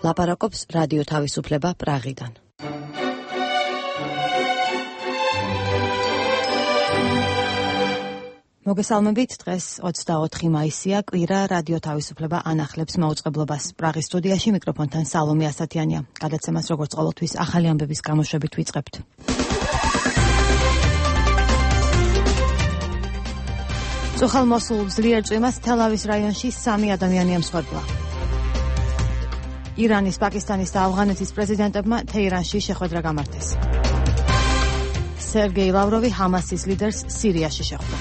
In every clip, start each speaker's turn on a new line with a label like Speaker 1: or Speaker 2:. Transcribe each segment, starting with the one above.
Speaker 1: ლაპარაკობს რადიო თავისუფლება პრაღიდან. მოგესალმებით, დღეს 24 მაისია, კვირა, რადიო თავისუფლება ანახლებს მაუწყებლობას. პრაღის სტუდიაში მიკროფონთან სალომე ასათიანია. გადაცემას როგორც ყოველთვის ახალი ამბების გამოშვებით ვიწყებთ. წუხალ-მოსულ ძლიერ წვიმას თელ-ავის რაიონში 3 ადამიანი ემსხვერპლა. ირანის, პაკისტანის და ავღანეთის პრეზიდენტებმა თეირანში შეხვედრა გამართეს. სერგეი ლავროვი ჰამასის ლიდერს სირიაში შეხვდა.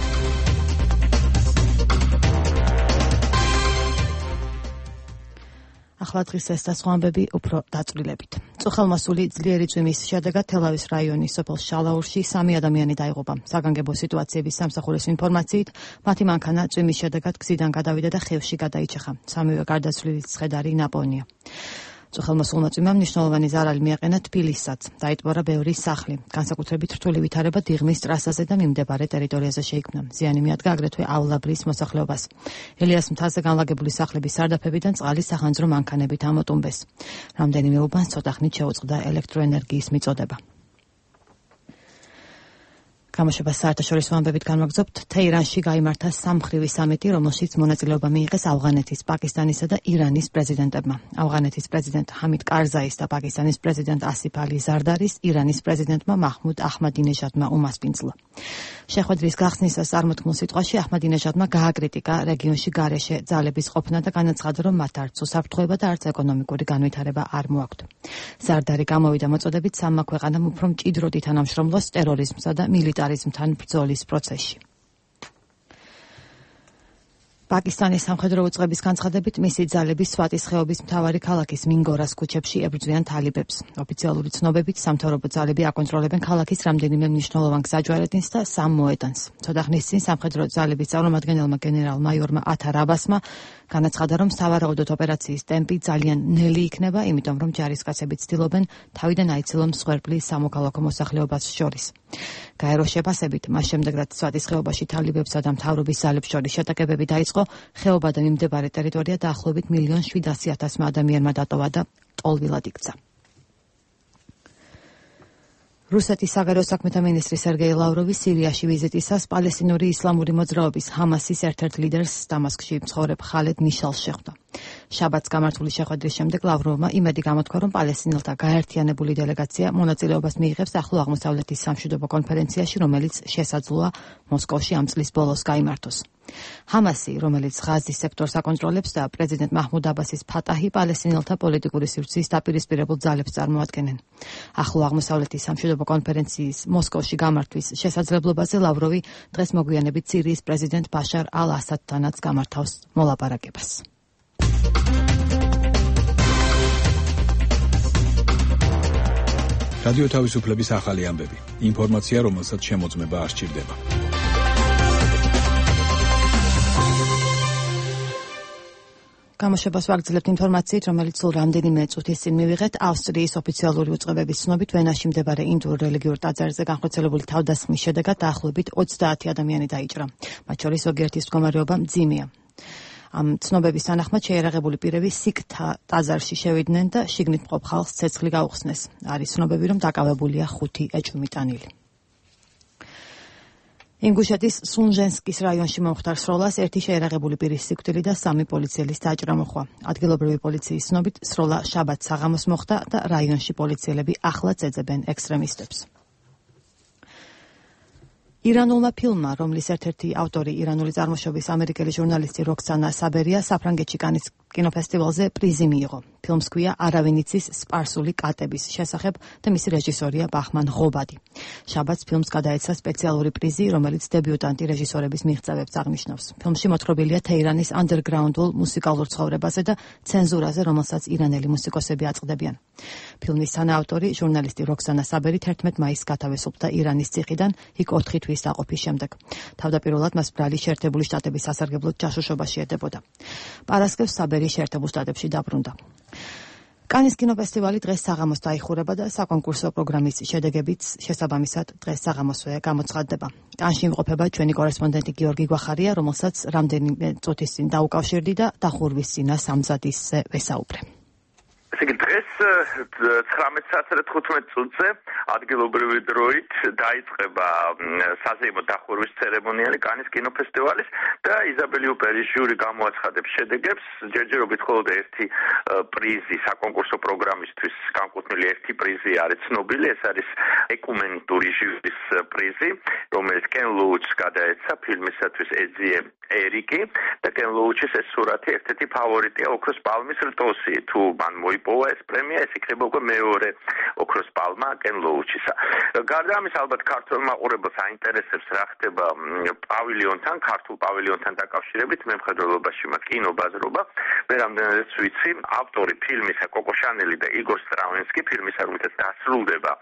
Speaker 1: ახლა დღის ეს და სხვა ამბები უფრო დაწვრილებით. წუხალ-მოსული ძლიერი წვიმის შედეგად თელ-ავის რაიონის სოფელ შალაურში 3 ადამიანი დაიღუპა. საგანგებო სიტუაციების სამსახურის ინფორმაციით, მათი მანქანა წვიმის შედეგად გზიდან გადავიდა და ხევში გადაიჭეხა. სამივე გარდაცვლილიც ცხედარი ნაპოვნია. წუხალ-მოსულმა წვიმამ მნიშვნელოვანი ზარალი მიაყენა თბილისსაც. დაიტბორა ბევრი სახლი. განსაკუთრებით რთული ვითარება დიღმის ტრასაზე და მიმდებარე ტერიტორიაზე შეიქმნა. ზიანი მიადგა აგრეთვე ავლაბრის მოსახლეობას. ელიას მთაზე განლაგებული სახლების სარდაფებიდან წყალი სახანძრო მანქანებით ამოტუმბეს. რამდენიმე უბანს ცოტახნით შეუწყდა ელექტროენერგიის მიწოდება. გამოშვებას საერთაშორისო ამბებით განვაგრძობთ. თეირანში გაიმართა სამმხრივი სამიტი, რომელშიც მონაწილეობა მიიღეს ავღანეთის, პაკისტანისა და ირანის პრეზიდენტებმა. ავღანეთის პრეზიდენტ ჰამიდ კარზაის და პაკისტანის პრეზიდენტ ასიფ ალი ზარდარის, ირანის პრეზიდენტმა მაჰმუდ აჰმადინეჟადმა უმასპინძლა. შეხვედრის გახსნისას წარმოთქმულ სიტყვაში აჰმადინეჟადმა გააკრიტიკა რეგიონში გარეშე ძალების ყოფნა და განაცხადა, რომ მათ არც უსაფრთხოება და არც ეკონომიკური განვითარება არ მოაქვთ. ზარდარი გამოვიდა მოწოდებით სამმა ქვეყანამ უფრო მჭიდროდ ითანამშრომლოს ტერორიზმსა და მილიტარიზმთან ბრძოლის პროცესში. პაკისტანის სამხედრო უწყების განცხადებით, მისი ძალები სვატის ხეობის მთავარი ქალაქის მინგორას ქუჩებში ებრძვიან თალიბებს. ოფიციალური ცნობებით, სამთავრობო ძალები აკონტროლებენ ქალაქის რამდენიმე მნიშვნელოვან გზაჯვარედინს და 3 მოედანს. ცოტა ხნის წინ სამხედრო ძალების წარმომადგენელმა გენერალ-მაიორმა ათარ აბასმა განაცხადა, რომ სავარაუდოდ ოპერაციის ტემპი ძალიან ნელი იქნება, იმიტომ რომ ჯარისკაცები ცდილობენ თავიდან აიცილონ მსხვერპლი სამოქალაქო მოსახლეობას შორის. გაეროს შეფასებით, მას შემდეგ, რაც სვატის ხეობაში თალიბებსა და მთავრობის ძალებს შორის შეტაკებები დაიწყო, ხეობა და მიმდებარე ტერიტორია დაახლოებით 1,700,000 ადამიანმა დატოვა და ტოლვილად იქცა. რუსეთის საგარეო საქმეთა მინისტრი სერგეი ლავროვი სირიაში ვიზიტისას პალესტინური ისლამური მოძრაობის ჰამასის ერთ-ერთ ლიდერს დამასკში მცხოვრებ ხალედ მიშალს შეხვდა. შაბათს გამართული შეხვედრის შემდეგ ლავროვმა იმედი გამოთქვა, რომ პალესტინელთა გაერთიანებული დელეგაცია მონაწილეობას მიიღებს ახლო აღმოსავლეთის სამშვიდობო კონფერენციაში, რომელიც შესაძლოა მოსკოვში ამ წლის ბოლოს გაიმართოს. ჰამასი, რომელიც ღაზის სექტორს აკონტროლებს და პრეზიდენტ მაჰმუდ აბასის ფატაჰი პალესტინელთა პოლიტიკური სივრცის დაპირისპირებულ ძალებს წარმოადგენენ. ახლო აღმოსავლეთის სამშვიდობო კონფერენციის მოსკოვში გამართვის შესაძლებლობაზე ლავროვი დღეს მოგვიანებით სირიის პრეზიდენტ ბაშარ ალ-ასადთანაც გამართავს მოლაპარაკებას.
Speaker 2: რადიო თავისუფლების ახალი ამბები. ინფორმაცია, რომელსაც შემოწმება არ სჭირდება.
Speaker 1: გამოშვებას ვაგრძელებთ ინფორმაციით, რომელიც სულ რამდენიმე წუთის წინ მივიღეთ. ავსტრიის ოფიციალური უწყებების ცნობით, ვენაში მდებარე ინდურ რელიგიურ ტაძარზე განხორციელებული თავდასხმის შედეგად დაახლოებით 20 ადამიანი დაიჭრა. მათ შორის ზოგიერთის მდგომარეობა მძიმეა. ამ ცნობების თანახმად შეიარაღებული პირები სიქთა ტაძარში შევიდნენ და შიგნით მყოფ ხალხს ცეცხლი გაუხსნეს. არის ცნობები, რომ დაკავებულია 5 ეჭვმიტანილი. ინგუშეთის სუნჟენსკის რაიონში მომხდარ სროლას ერთი შეიარაღებული პირის სიკვდილი და 3 პოლიციელის დაჭრა მოჰყვა. ადგილობრივი პოლიციის ცნობით, სროლა შაბათს საღამოს მოხდა და რაიონში პოლიციელები ახლაც ეძებენ ექსტრემისტებს. ირანულმა ფილმმა, რომლის ერთ-ერთი ავტორი ირანული წარმოშობის ამერიკელი ჟურნალისტი როქსანა საბერია, საფრანგეთში კანის კინოფესტივალზე პრიზი მიიღო. ფილმს ჰქვია „არავინ იცის სპარსული კატების შესახებ“ და მისი რეჟისორია ბახმან ღობადი. შაბათს ფილმს გადაეცა სპეციალური პრიზი, რომელიც დებიუტანტი რეჟისორების მიღწევებს აღნიშნავს. ფილმში მოთხრობილია თეირანის ანდერგრაუნდულ მუსიკალურ ცხოვრებაზე და ცენზურაზე, რომელსაც ირანელი მუსიკოსები აწყდებიან. ფილმის თანაავტორი, ჟურნალისტი როქსანა საბერი 11 მაისს გათავისუფლდა ირანის ციხიდან, იქ 4 თვის დაყოფის შემდეგ. თავდაპირველად მას ბრალი შეერთებული შტატების სასარგებლოდ ჯაშუშობაში ედებოდა. პარასკევს საბერი შეერთებულ შტატებში დაბრუნდა. კანის კინოფესტივალი დღეს საღამოს დაიხურება და საკონკურსო პროგრამის შედეგებიც შესაბამისად დღეს საღამოსვე გამოცხადდება. კანში იმყოფება ჩვენი კორესპონდენტი გიორგი გვახარია, რომელსაც რამდენიმე წუთის წინ დაუკავშირდი და დახურვის წინას ამზადისზე ვესაუბრე.
Speaker 3: ესე იგი დღეს 19:15 წუთზე ადგილობრივი დროით დაიწყება საზეიმო დახურვის ცერემონიალი კანის კინოფესტივალის და იზაბელი უპერის ჟიური გამოაცხადებს შედეგებს. ჯერჯერობით მხოლოდ ერთი პრიზი საკონკურსო პროგრამისთვის განკუთვნილი ერთი პრიზი არის ცნობილი, ეს არის ეკუმენიკური ჟიურის პრიზი, რომელიც კენ ლოუჩს გადაეცა ფილმისათვის ეძიე ერიკი და კენ ლოუჩის ეს სურათი ერთ-ერთი ფავორიტია ოქროს პალმის რტოსი. თუ მან მოიპოვა ეს პრემია, ეს იქნება უკვე მეორე ოქროს პალმა კენ ლოუჩისა. გარდა ამის ალბათ ქართულ მაყურებელს აინტერესებს რა ხდება პავილიონთან, ქართულ პავილიონთან დაკავშირებით, მემხედველობაში მაქვს კინობაზრობა. მე რამდენადაც ვიცი, ავტორი ფილმისა კოკო შანელი და იგორ სტრავინსკი, ფილმისა რომელთაც დასრულდება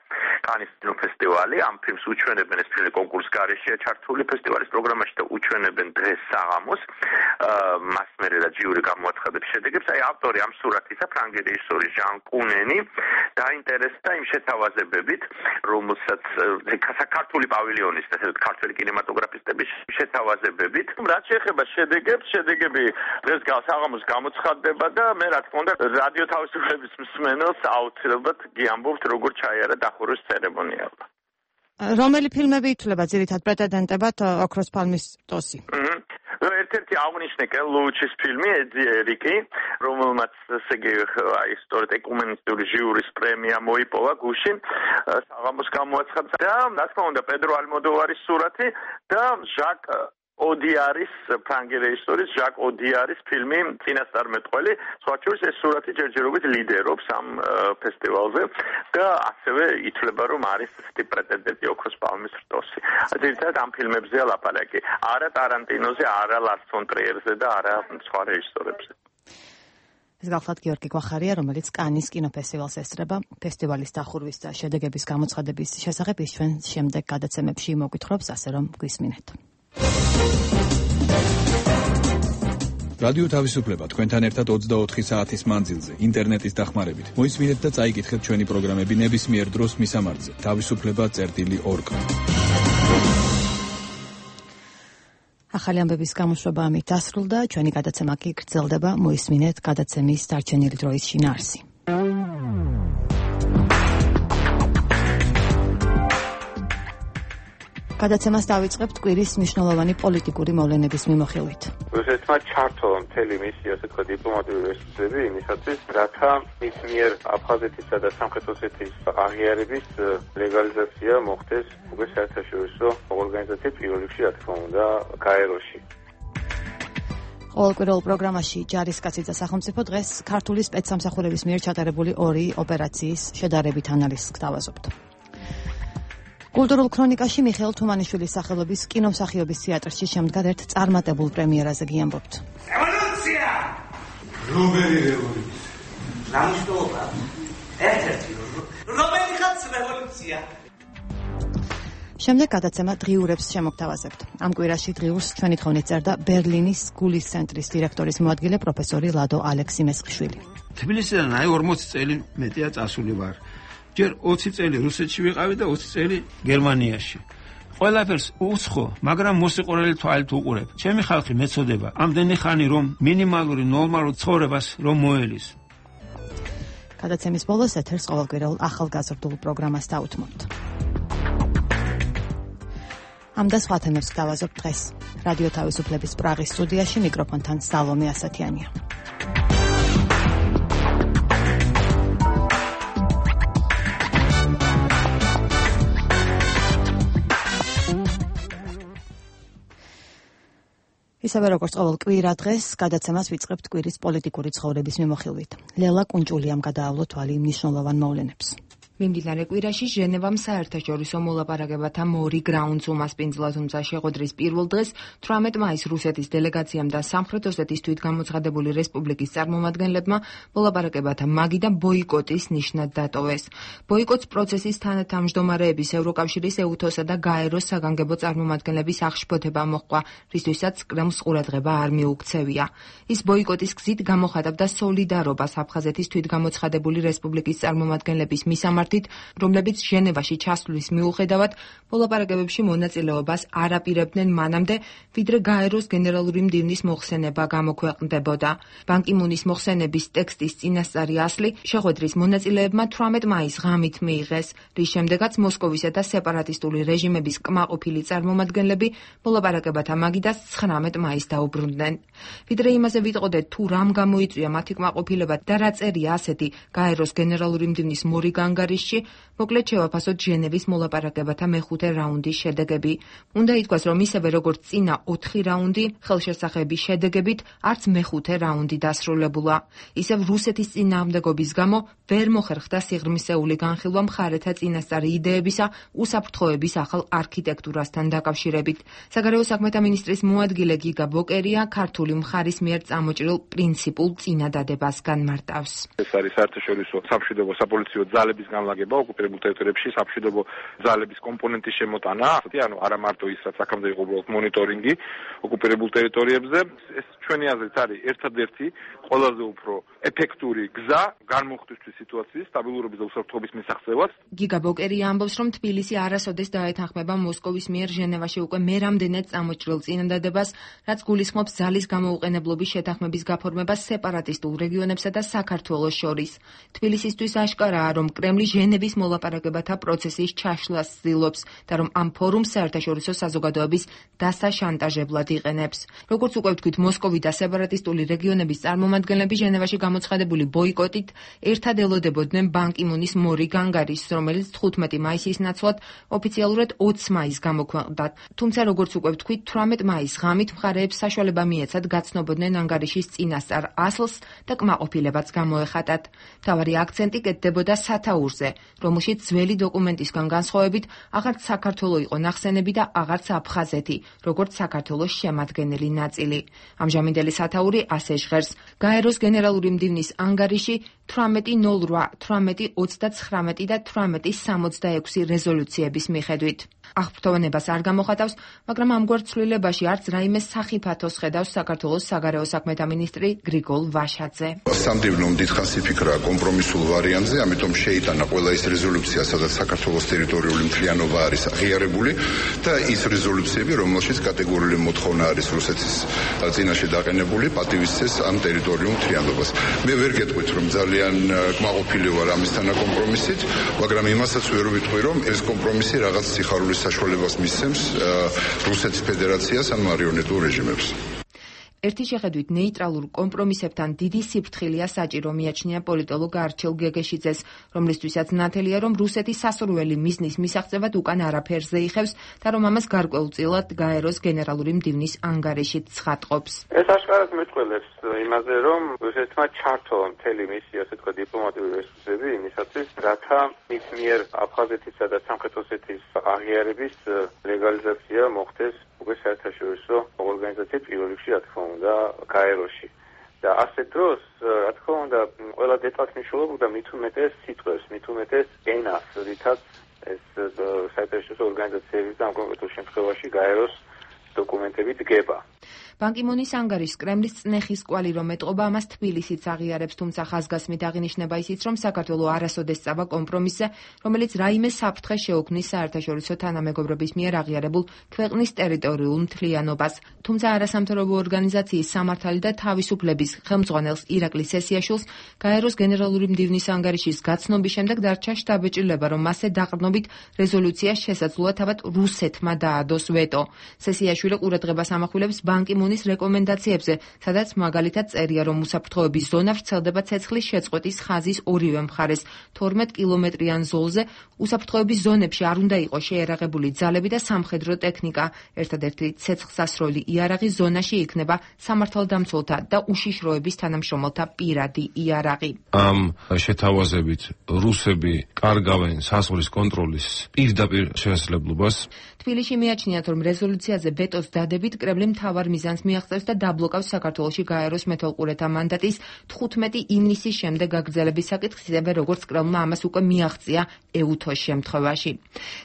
Speaker 3: კანის კინოფესტივალი, ამ ფილმს უჩვენებენ, ეს ფილმი კონკურსის გარეშეა ჩართული ფესტივალის პროგრამაში და უჩვენებენ დღეს საღამოს. მას მერე და ჟიური გამოაცხადებს შედეგებს. აი ავტორი ამ სურათისა, ფრანგი რეჟისორი ჟან კუნენი, დაინტერესდა იმ შეთავაზებებით, რომელსაც საქართველოს პავილიონის და ქართული კინემატოგრაფისტების შეთავაზებებით. რაც შეეხება შედეგებს, შედეგები დღეს საღამოს გამოცხადდება და მე რა თქმა უნდა რადიო თავისუფლების მსმენელს აუცილებლად გიამბობთ, როგორ ჩაიარა დახურვის ცერემონიალმა.
Speaker 1: რომელი ფილმები ითვლება ძირითად პრეტენდენტებად ოქროს პალმის რტოსი?
Speaker 3: ერთ-ერთი აღნიშნე კენ ლოუჩის ფილმი ეძიე ერიკი, რომელმაც ესე იგი აი სწორედ ეკუმენისტური ჟიურის პრემია მოიპოვა გუშინ საღამოს გამოაცხადა და რა თქმა უნდა პედრო ალმოდოვარის სურათი და ჟაკ ოდიარის ფრანგი რეჟისორის ჟაკ ოდიარის ფილმი წინასწარმეტყველი. სხვა შორის ეს სურათი ჯერჯერობით ლიდერობს ამ ფესტივალზე და ასევე ითვლება, რომ არის ესეთი პრეტენდენტი ოქროს პალმის რტოსი. ძირითადად ამ ფილმებზეა ლაპარაკი. არა ტარანტინოზე, არა ლარს ფონ ტრიერზე და არა სხვა რეჟისორებზე.
Speaker 1: ეს გახლავთ გიორგი გვახარია, რომელიც კანის კინოფესტივალს ესწრება. ფესტივალის დახურვის და შედეგების გამოცხადების შესახებ ის ჩვენ შემდეგ გადაცემებში მოგვითხრობს, ასე რომ გვისმინეთ.
Speaker 2: რადიო თავისუფლება თქვენთან ერთად 24 საათის მანძილზე ინტერნეტის დახმარებით. მოისმინეთ და წაიკითხეთ ჩვენი პროგრამები ნებისმიერ დროს მისამართზე. თავისუფლება.org. ახალი ამბების გამოშვება ამით დასრულდა. ჩვენი გადაცემა კი გრძელდება. მოისმინეთ გადაცემის დარჩენილი დროის შინაარსი. გადაცემას დავიწყებთ კვირის მნიშვნელოვანი პოლიტიკური მოვლენების მიმოხილვით.
Speaker 4: რუსეთმა ჩართო მთელი მისი ასე თქვა დიპლომატიური რესურსები იმისათვის, რათა მის მიერ აფხაზეთისა და სამხრეთ ოსეთის აღიარების ლეგალიზაცია მოხდეს უკვე საერთაშორისო ორგანიზაციის პირველ რიგში, რა თქმა უნდა, გაეროში.
Speaker 1: ყოველკვირეულ პროგრამაში ჯარისკაცი და სახელმწიფო დღეს ქართული სპეცსამსახურების მიერ ჩატარებული ორი ოპერაციის შედარებით ანალიზს გთავაზობთ. კულტურულ ქრონიკაში მიხეილ თუმანიშვილის სახელობის კინომსახიობის თეატრში შემდგარ ერთ წარმატებულ პრემიერაზე გიამბობთ.
Speaker 5: რევოლუცია!
Speaker 6: რომელი რევოლუცია?
Speaker 5: ნამუშევრობა. ერთ-ერთი რომელი ხალხს რევოლუცია?
Speaker 1: შემდეგ გადაცემა დღიურებს შემოგთავაზებთ. ამ კვირაში დღიურს ჩვენი თხოვნით წერდა ბერლინის გულის ცენტრის დირექტორის მოადგილე პროფესორი ლადო ალექსიმესხიშვილი.
Speaker 6: თბილისიდან აი 40 წელი მეტია წასული ვარ. ჯერ 20 წელი რუსეთში ვიყავი და 20 წელი გერმანიაში. ყველაფერს უცხო, მაგრამ მოსიყვარული თვალით უყურებ. ჩემი ხალხი მეწოდება, ამდენი ხანი რომ მინიმალური ნორმალურ ცხოვრებას რომ მოელის.
Speaker 1: გადაცემის ბოლოს ეთერს ყოველკვირეულ ახალგაზრდულ პროგრამას დაუთმობთ. ამ და სხვა თემებს გავაზობთ დღეს. რადიო თავისუფლების პრაღის სტუდიაში მიკროფონთან სალომე ასათიანია. ისევე როგორც ყოველ კვირა დღეს გადაცემას ვიწყებთ კვირის პოლიტიკური ცხოვრების მიმოხილვით. ლელა კუნჭულიამ გადაავლო თვალი მნიშვნელოვან მოვლენებს.
Speaker 7: მიმდინარე კვირაში ჟენევამ საერთაშორისო მოლაპარაკებათა მორი გრაუნდს უმასპინძლა, თუმცა შეხვედრის პირველ დღეს 18 მაისს რუსეთის დელეგაციამ და სამხრეთ ოსეთის თვითგამოცხადებული რესპუბლიკის წარმომადგენლებმა მოლაპარაკებათა მაგი და ბოიკოტის ნიშნად დატოვეს. ბოიკოტს პროცესის თანათავმჯდომარეების ევროკავშირის ეუთოსა და გაეროს საგანგებო წარმომადგენლების აღშფოთება მოჰყვა, რისთვისაც კრემლს ყურადღება არ მიუქცევია. ის ბოიკოტის გზით გამოხატავდა სოლიდარობას აფხაზეთის თვითგამოცხადებული რესპუბლიკის წარმომადგენლების მისამართი სტანდარტით, რომლებიც ჟენევაში ჩასვლის მიუხედავად მოლაპარაკებებში მონაწილეობას არ აპირებდნენ მანამდე, ვიდრე გაეროს გენერალური მდივნის მოხსენება გამოქვეყნდებოდა. ბან კი მუნის მოხსენების ტექსტის წინასწარი ასლი შეხვედრის მონაწილეებმა 18 მაისს ღამით მიიღეს, რის შემდეგაც მოსკოვისა და სეპარატისტული რეჟიმების კმაყოფილი წარმომადგენლები მოლაპარაკებათა მაგიდას 19 მაისს დაუბრუნდნენ. ვიდრე იმაზე ვიტყოდეთ, თუ რამ გამოიწვია მათი კმაყოფილება და რა წერია ასეთი გაეროს გენერალური მდივნის მორიგ ანგარიშში, მოკლედ შევაფასოთ ჟენევის მოლაპარაკებათა მეხუთე რაუნდის შედეგები. უნდა ითქვას, რომ ისევე როგორც წინა 4 რაუნდი ხელშესახების შედეგებით, არც მეხუთე რაუნდი დასრულებულა. ისევ რუსეთის წინააღმდეგობის გამო ვერ მოხერხდა სიღრმისეული განხილვა მხარეთა წინასწარი იდეებისა უსაფრთხოების ახალ არქიტექტურასთან დაკავშირებით. საგარეო საქმეთა მინისტრის მოადგილე გიგა ბოკერია ქართული მხარის მიერ წამოჭრილ პრინციპულ წინადადებას განმარტავს.
Speaker 8: ეს არის საერთაშორისო სამშვიდობო საპოლიციო ძალების განლაგება ოკუპირებულ ტერიტორიებში, სამშვიდობო ძალების კომპონენტის შემოტანა, ანუ არა მარტო ის, რაც აქამდე იყო უბრალოდ მონიტორინგი ოკუპირებულ ტერიტორიებზე. ეს ჩვენი აზრით არის ერთადერთი ყველაზე უფრო ეფექტური გზა განმოხტვის სიტუაციის სტაბილურობის და უსაფრთხოების მისაღწევად.
Speaker 7: გიგა ბოკერია ამბობს, რომ თბილისი არასოდეს დაეთანხმება მოსკოვის მიერ ჟენევაში უკვე მერამდენად წამოჭრილ წინადადებას, რაც გულისხმობს ძალის გამოუყენებლობის შეთანხმების გაფორმებას სეპარატისტულ რეგიონებსა და საქართველოს შორის. თბილისისთვის აშკარაა, რომ კრემლი ჟენევის მოლაპარაკებათა პროცესის ჩაშლას ცდილობს და რომ ამ ფორუმს საერთაშორისო საზოგადოების დასაშანტაჟებლად იყენებს. როგორც უკვე ვთქვით, მოსკოვი და სეპარატისტული რეგიონების წარმომადგენლები ჟენევაში გამოცხადებული ბოიკოტით ერთად ელოდებოდნენ ბან კი მუნის მორიგ ანგარიშს, რომელიც 15 მაისის ნაცვლად ოფიციალურად 20 მაისს გამოქვეყნდა. თუმცა როგორც უკვე ვთქვით, 18 მაისს ღამით მხარეებს საშუალება მიეცათ გაცნობოდნენ ანგარიშის წინასწარ ასლს და კმაყოფილებაც გამოეხატათ. მთავარი აქცენტი კეთდებოდა სათაურზე, რომელშიც ძველი დოკუმენტისგან განსხვავებით აღარც საქართველო იყო ნახსენები და აღარც აფხაზეთი, როგორც საქართველოს შემადგენელი ნაწილი. ამჟამინდელი სათაური ასე ჟღერს: გაეროს გენერალური მდივნის ანგარიში 1808, 1829 და 1866 რეზოლუციების მიხედვით. აღფრთოვანებას არ გამოხატავს, მაგრამ ამგვარ ცვლილებაში არც რაიმე სახიფათოს ხედავს საქართველოს საგარეო საქმეთა მინისტრი გრიგოლ ვაშაძე.
Speaker 9: სამდივნომ დიდხანს იფიქრა კომპრომისულ ვარიანტზე, ამიტომ შეიტანა ყველა ის რეზოლუცია, სადაც საქართველოს ტერიტორიული მთლიანობა არის აღიარებული და ის რეზოლუციები, რომელშიც კატეგორიული მოთხოვნა არის რუსეთის წინაშე დაყენებული, პატივისცეს ამ ტერიტორიულ მთლიანობას. მე ვერ გეტყვით, რომ ძალიან კმაყოფილი ვარ ამისთან კომპრომისით, მაგრამ იმასაც ვერ ვიტყვი, რომ ეს კომპრომისი რაღაც სიხარულის საშუალებას მისცემს რუსეთის ფედერაციას ან მარიონეტულ რეჟიმებს.
Speaker 7: ერთი შეხედვით ნეიტრალურ კომპრომისებთან დიდი სიფრთხილეა საჭირო, მიაჩნია პოლიტოლოგ არჩილ გეგეშიძეს, რომლისთვისაც ნათელია, რომ რუსეთის სასურველი მიზნის მისაღწევად უკან არაფერზე იხევს და რომ ამას გარკვეულწილად გაეროს გენერალური მდივნის ანგარიშით ცხადყოფს.
Speaker 4: ეს აშკარად მეტყველებს იმაზე, რომ რუსეთმა ჩართო მთელი მისი, ასე თქვა, დიპლომატიური რესურსები იმისათვის, რათა მის მიერ აფხაზეთისა და სამხრეთ ოსეთის აღიარების ლეგალიზაცია მოხდეს უკვე საერთაშორისო ორგანიზაციის პირველ რიგში, რა თქმა უნდა, გაეროში. და ასე დროს, რა თქმა უნდა, ყველა დეტალს მნიშვნელობა მით უმეტეს სიტყვებს, მით უმეტეს ენას, რითაც ეს საერთაშორისო ორგანიზაციების და ამ კონკრეტულ შემთხვევაში გაეროს დოკუმენტები დგება.
Speaker 7: ბან კი მუნის ანგარიშს კრემლის წნეხის კვალი რომ ეტყობა, ამას თბილისიც აღიარებს, თუმცა ხაზგასმით აღინიშნება ისიც, რომ საქართველო არასოდეს წავა კომპრომისზე, რომელიც რაიმე საფრთხე შეუქმნის საერთაშორისო თანამეგობრობის მიერ აღიარებულ ქვეყნის ტერიტორიულ მთლიანობას. თუმცა არასამთავრობო ორგანიზაციის სამართალი და თავისუფლების ხელმძღვანელს ირაკლი სესიაშვილს გაეროს გენერალური მდივნის ანგარიშის გაცნობის შემდეგ დარჩა შთაბეჭდილება, რომ მასზე დაყრდნობით რეზოლუცია შესაძლოა თავად რუსეთმა დაადოს ვეტო. სესიაშვილი ყურადღებას ამახვილებს ბან კი მუნის რეკომენდაციებზე, სადაც მაგალითად წერია, რომ უსაფრთხოების ზონა ვრცელდება ცეცხლის შეწყვეტის ხაზის ორივე მხარეს 12 კილომეტრიან ზოლზე. უსაფრთხოების ზონებში არ უნდა იყოს შეერაღებული ძალები და სამხედრო ტექნიკა. ერთადერთი ცეცხლსასროლი იარაღი ზონაში იქნება სამართალდამცველთა და უშიშროების თანამშრომელთა პირადი იარაღი.
Speaker 6: ამ შეთავაზებით რუსები კარგავენ საზღვრის კონტროლის პირდაპირ შესაძლებლობას.
Speaker 7: თბილისში მიაჩნიათ, რომ რეზოლუციაზე ვეტოს დადებით კრემლი მთავარ მიზანს გადაცემას მიაღწევს და დაბლოკავს საქართველოში გაეროს მეთვალყურეთა მანდატის 15 ივნისის შემდეგ გაგრძელების საკითხს, ისევე როგორც კრემლმა ამას უკვე მიაღწია ეუთოს შემთხვევაში.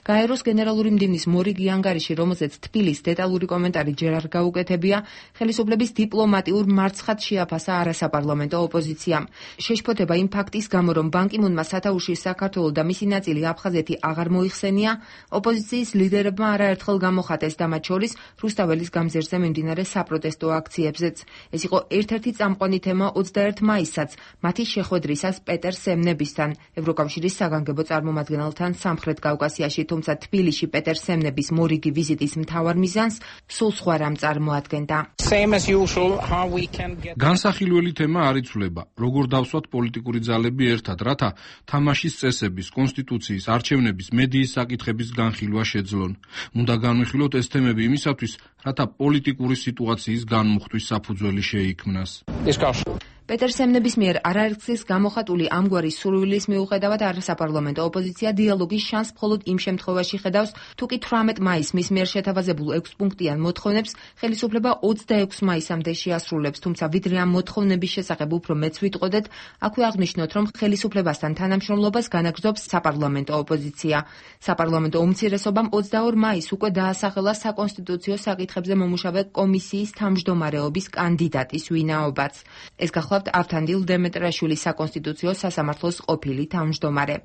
Speaker 7: გაეროს გენერალური მდივნის მორიგი ანგარიში, რომელზეც თბილისის დეტალური კომენტარი ჯერ არ გაუკეთებია, ხელისუფლების დიპლომატიურ მარცხად შეაფასა არასაპარლამენტო ოპოზიციამ. შეშფოთება იმ ფაქტის გამო, რომ ბან კი მუნმა სათაურში საქართველო და მისი ნაწილი აფხაზეთი აღარ მოიხსენია, ოპოზიციის ლიდერებმა არაერთხელ გამოხატეს და მათ შორის რუსთაველის გამზირზე მიმდინარე საპროტესტო აქციებზეც. ეს იყო ერთ-ერთი წამყვანი თემა 21 მაისსაც, მათი შეხვედრისას პეტერ სემნებისთან, ევროკავშირის საგანგებო წარმომადგენელთან სამხრეთ კავკასიაში, თუმცა თბილისში პეტერ სემნების მორიგი ვიზიტის მთავარ მიზანს სულ სხვა რამ წარმოადგენდა.
Speaker 10: განსახილველი თემა არ იცვლება, როგორ დავსვათ პოლიტიკური ძალები ერთად, რათა თამაშის წესების, კონსტიტუციის, არჩევნების, მედიის საკითხების განხილვა შეძლონ. უნდა განვიხილოთ ეს თემები იმისათვის, რათა პოლიტიკური სიტუაციის განმუხტვის საფუძველი შეიქმნას.
Speaker 7: პეტერ სემნების მიერ არაერთგზის გამოხატული ამგვარი სურვილის მიუხედავად არასაპარლამენტო ოპოზიცია დიალოგის შანსს მხოლოდ იმ შემთხვევაში ხედავს, თუ კი 18 მაისს მის მიერ შეთავაზებულ 6 პუნქტიან მოთხოვნებს ხელისუფლება 26 მაისამდე შეასრულებს, თუმცა ვიდრე ამ მოთხოვნების შესახებ უფრო მეც ვიტყოდეთ, აქვე აღნიშნოთ, რომ ხელისუფლებასთან თანამშრომლობას განაგრძობს საპარლამენტო ოპოზიცია. საპარლამენტო უმცირესობამ 22 მაისს უკვე დაასახელა საკონსტიტუციო საკითხებზე მომუშავე კომისიის თავმჯდომარეობის კანდიდატის ვინაობაც. ეს გახლავთ ავთანდილ დემეტრაშვილის საკონსტიტუციო სასამართლოს ყოფილი თავმჯდომარე.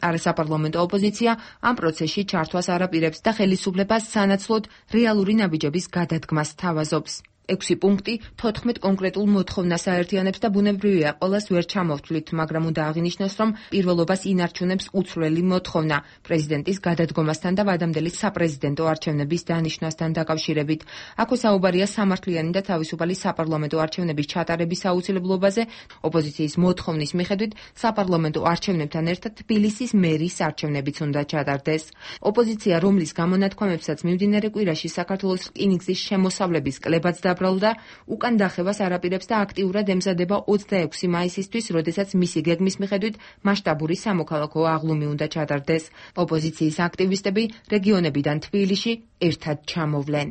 Speaker 7: არასაპარლამენტო ოპოზიცია ამ პროცესში ჩართვას არ აპირებს და ხელისუფლებას სანაცვლოდ რეალური ნაბიჯების გადადგმას თავაზობს. 6 პუნქტი 14 კონკრეტულ მოთხოვნას აერთიანებს და ბუნებრივია ყველას ვერ ჩამოვთვლით, მაგრამ უნდა აღინიშნოს, რომ პირველობას ინარჩუნებს უცვლელი მოთხოვნა პრეზიდენტის გადადგომასთან და ვადამდელი საპრეზიდენტო არჩევნების დანიშნვასთან დაკავშირებით. აქვე საუბარია სამართლიანი და თავისუფალი საპარლამენტო არჩევნების ჩატარების აუცილებლობაზე. ოპოზიციის მოთხოვნის მიხედვით საპარლამენტო არჩევნებთან ერთად თბილისის მერის არჩევნებიც უნდა ჩატარდეს. ოპოზიცია, რომლის გამონათქვამებსაც მიმდინარე კვირაში საქართველოს რკინიგზის შემოსავლების კლებაც და უკან დახევას არაპირებს და აქტიურად ემზადება 26 მაისისთვის, როდესაც მისი გეგმის მიხედვით მასშტაბური სამოქალაქო აღლუმი უნდა ჩატარდეს. ოპოზიციის აქტივისტები რეგიონებიდან თბილისში ერთად ჩამოვლენ.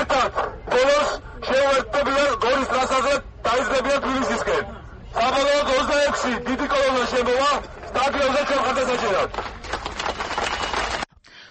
Speaker 11: ერთად ბოლოს შევერთებიან გორის ტრასაზე დაიძლებიან თბილისისკენ. საბოლოოდ 26 დიდი კოლონა შემოვა სტადიონზე ჩვენ ხარდასაჭერად.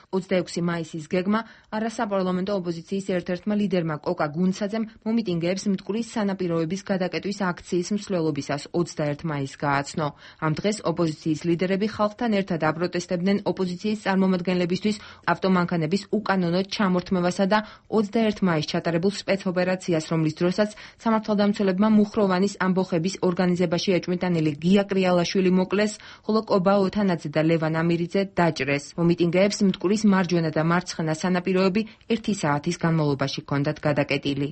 Speaker 7: 26 მაისის გეგმა არასაპარლამენტო ოპოზიციის ერთ-ერთმა ლიდერმა კოკა გუნცაძემ მომიტინგეებს მტკვრის სანაპიროების გადაკეტვის აქციის მსვლელობისას 21 მაისს გააცნო. ამ დღეს ოპოზიციის ლიდერები ხალხთან ერთად აპროტესტებდნენ ოპოზიციის წარმომადგენლებისთვის ავტომანქანების უკანონო ჩამორთმევასა და 21 მაისს ჩატარებულ სპეცოპერაციას, რომლის დროსაც სამართალდამცველებმა მუხროვანის ამბოხების ორგანიზებაში ეჭვმიტანილი გია კრიალაშვილი მოკლეს, ხოლო კობა ოთანაძე და ლევან ამირიძე დაჭრეს. მომიტინგეებს მტკვრის მარჯვენა და მარცხენა სანაპიროები 1 საათის განმავლობაში ჰქონდათ გადაკეტილი.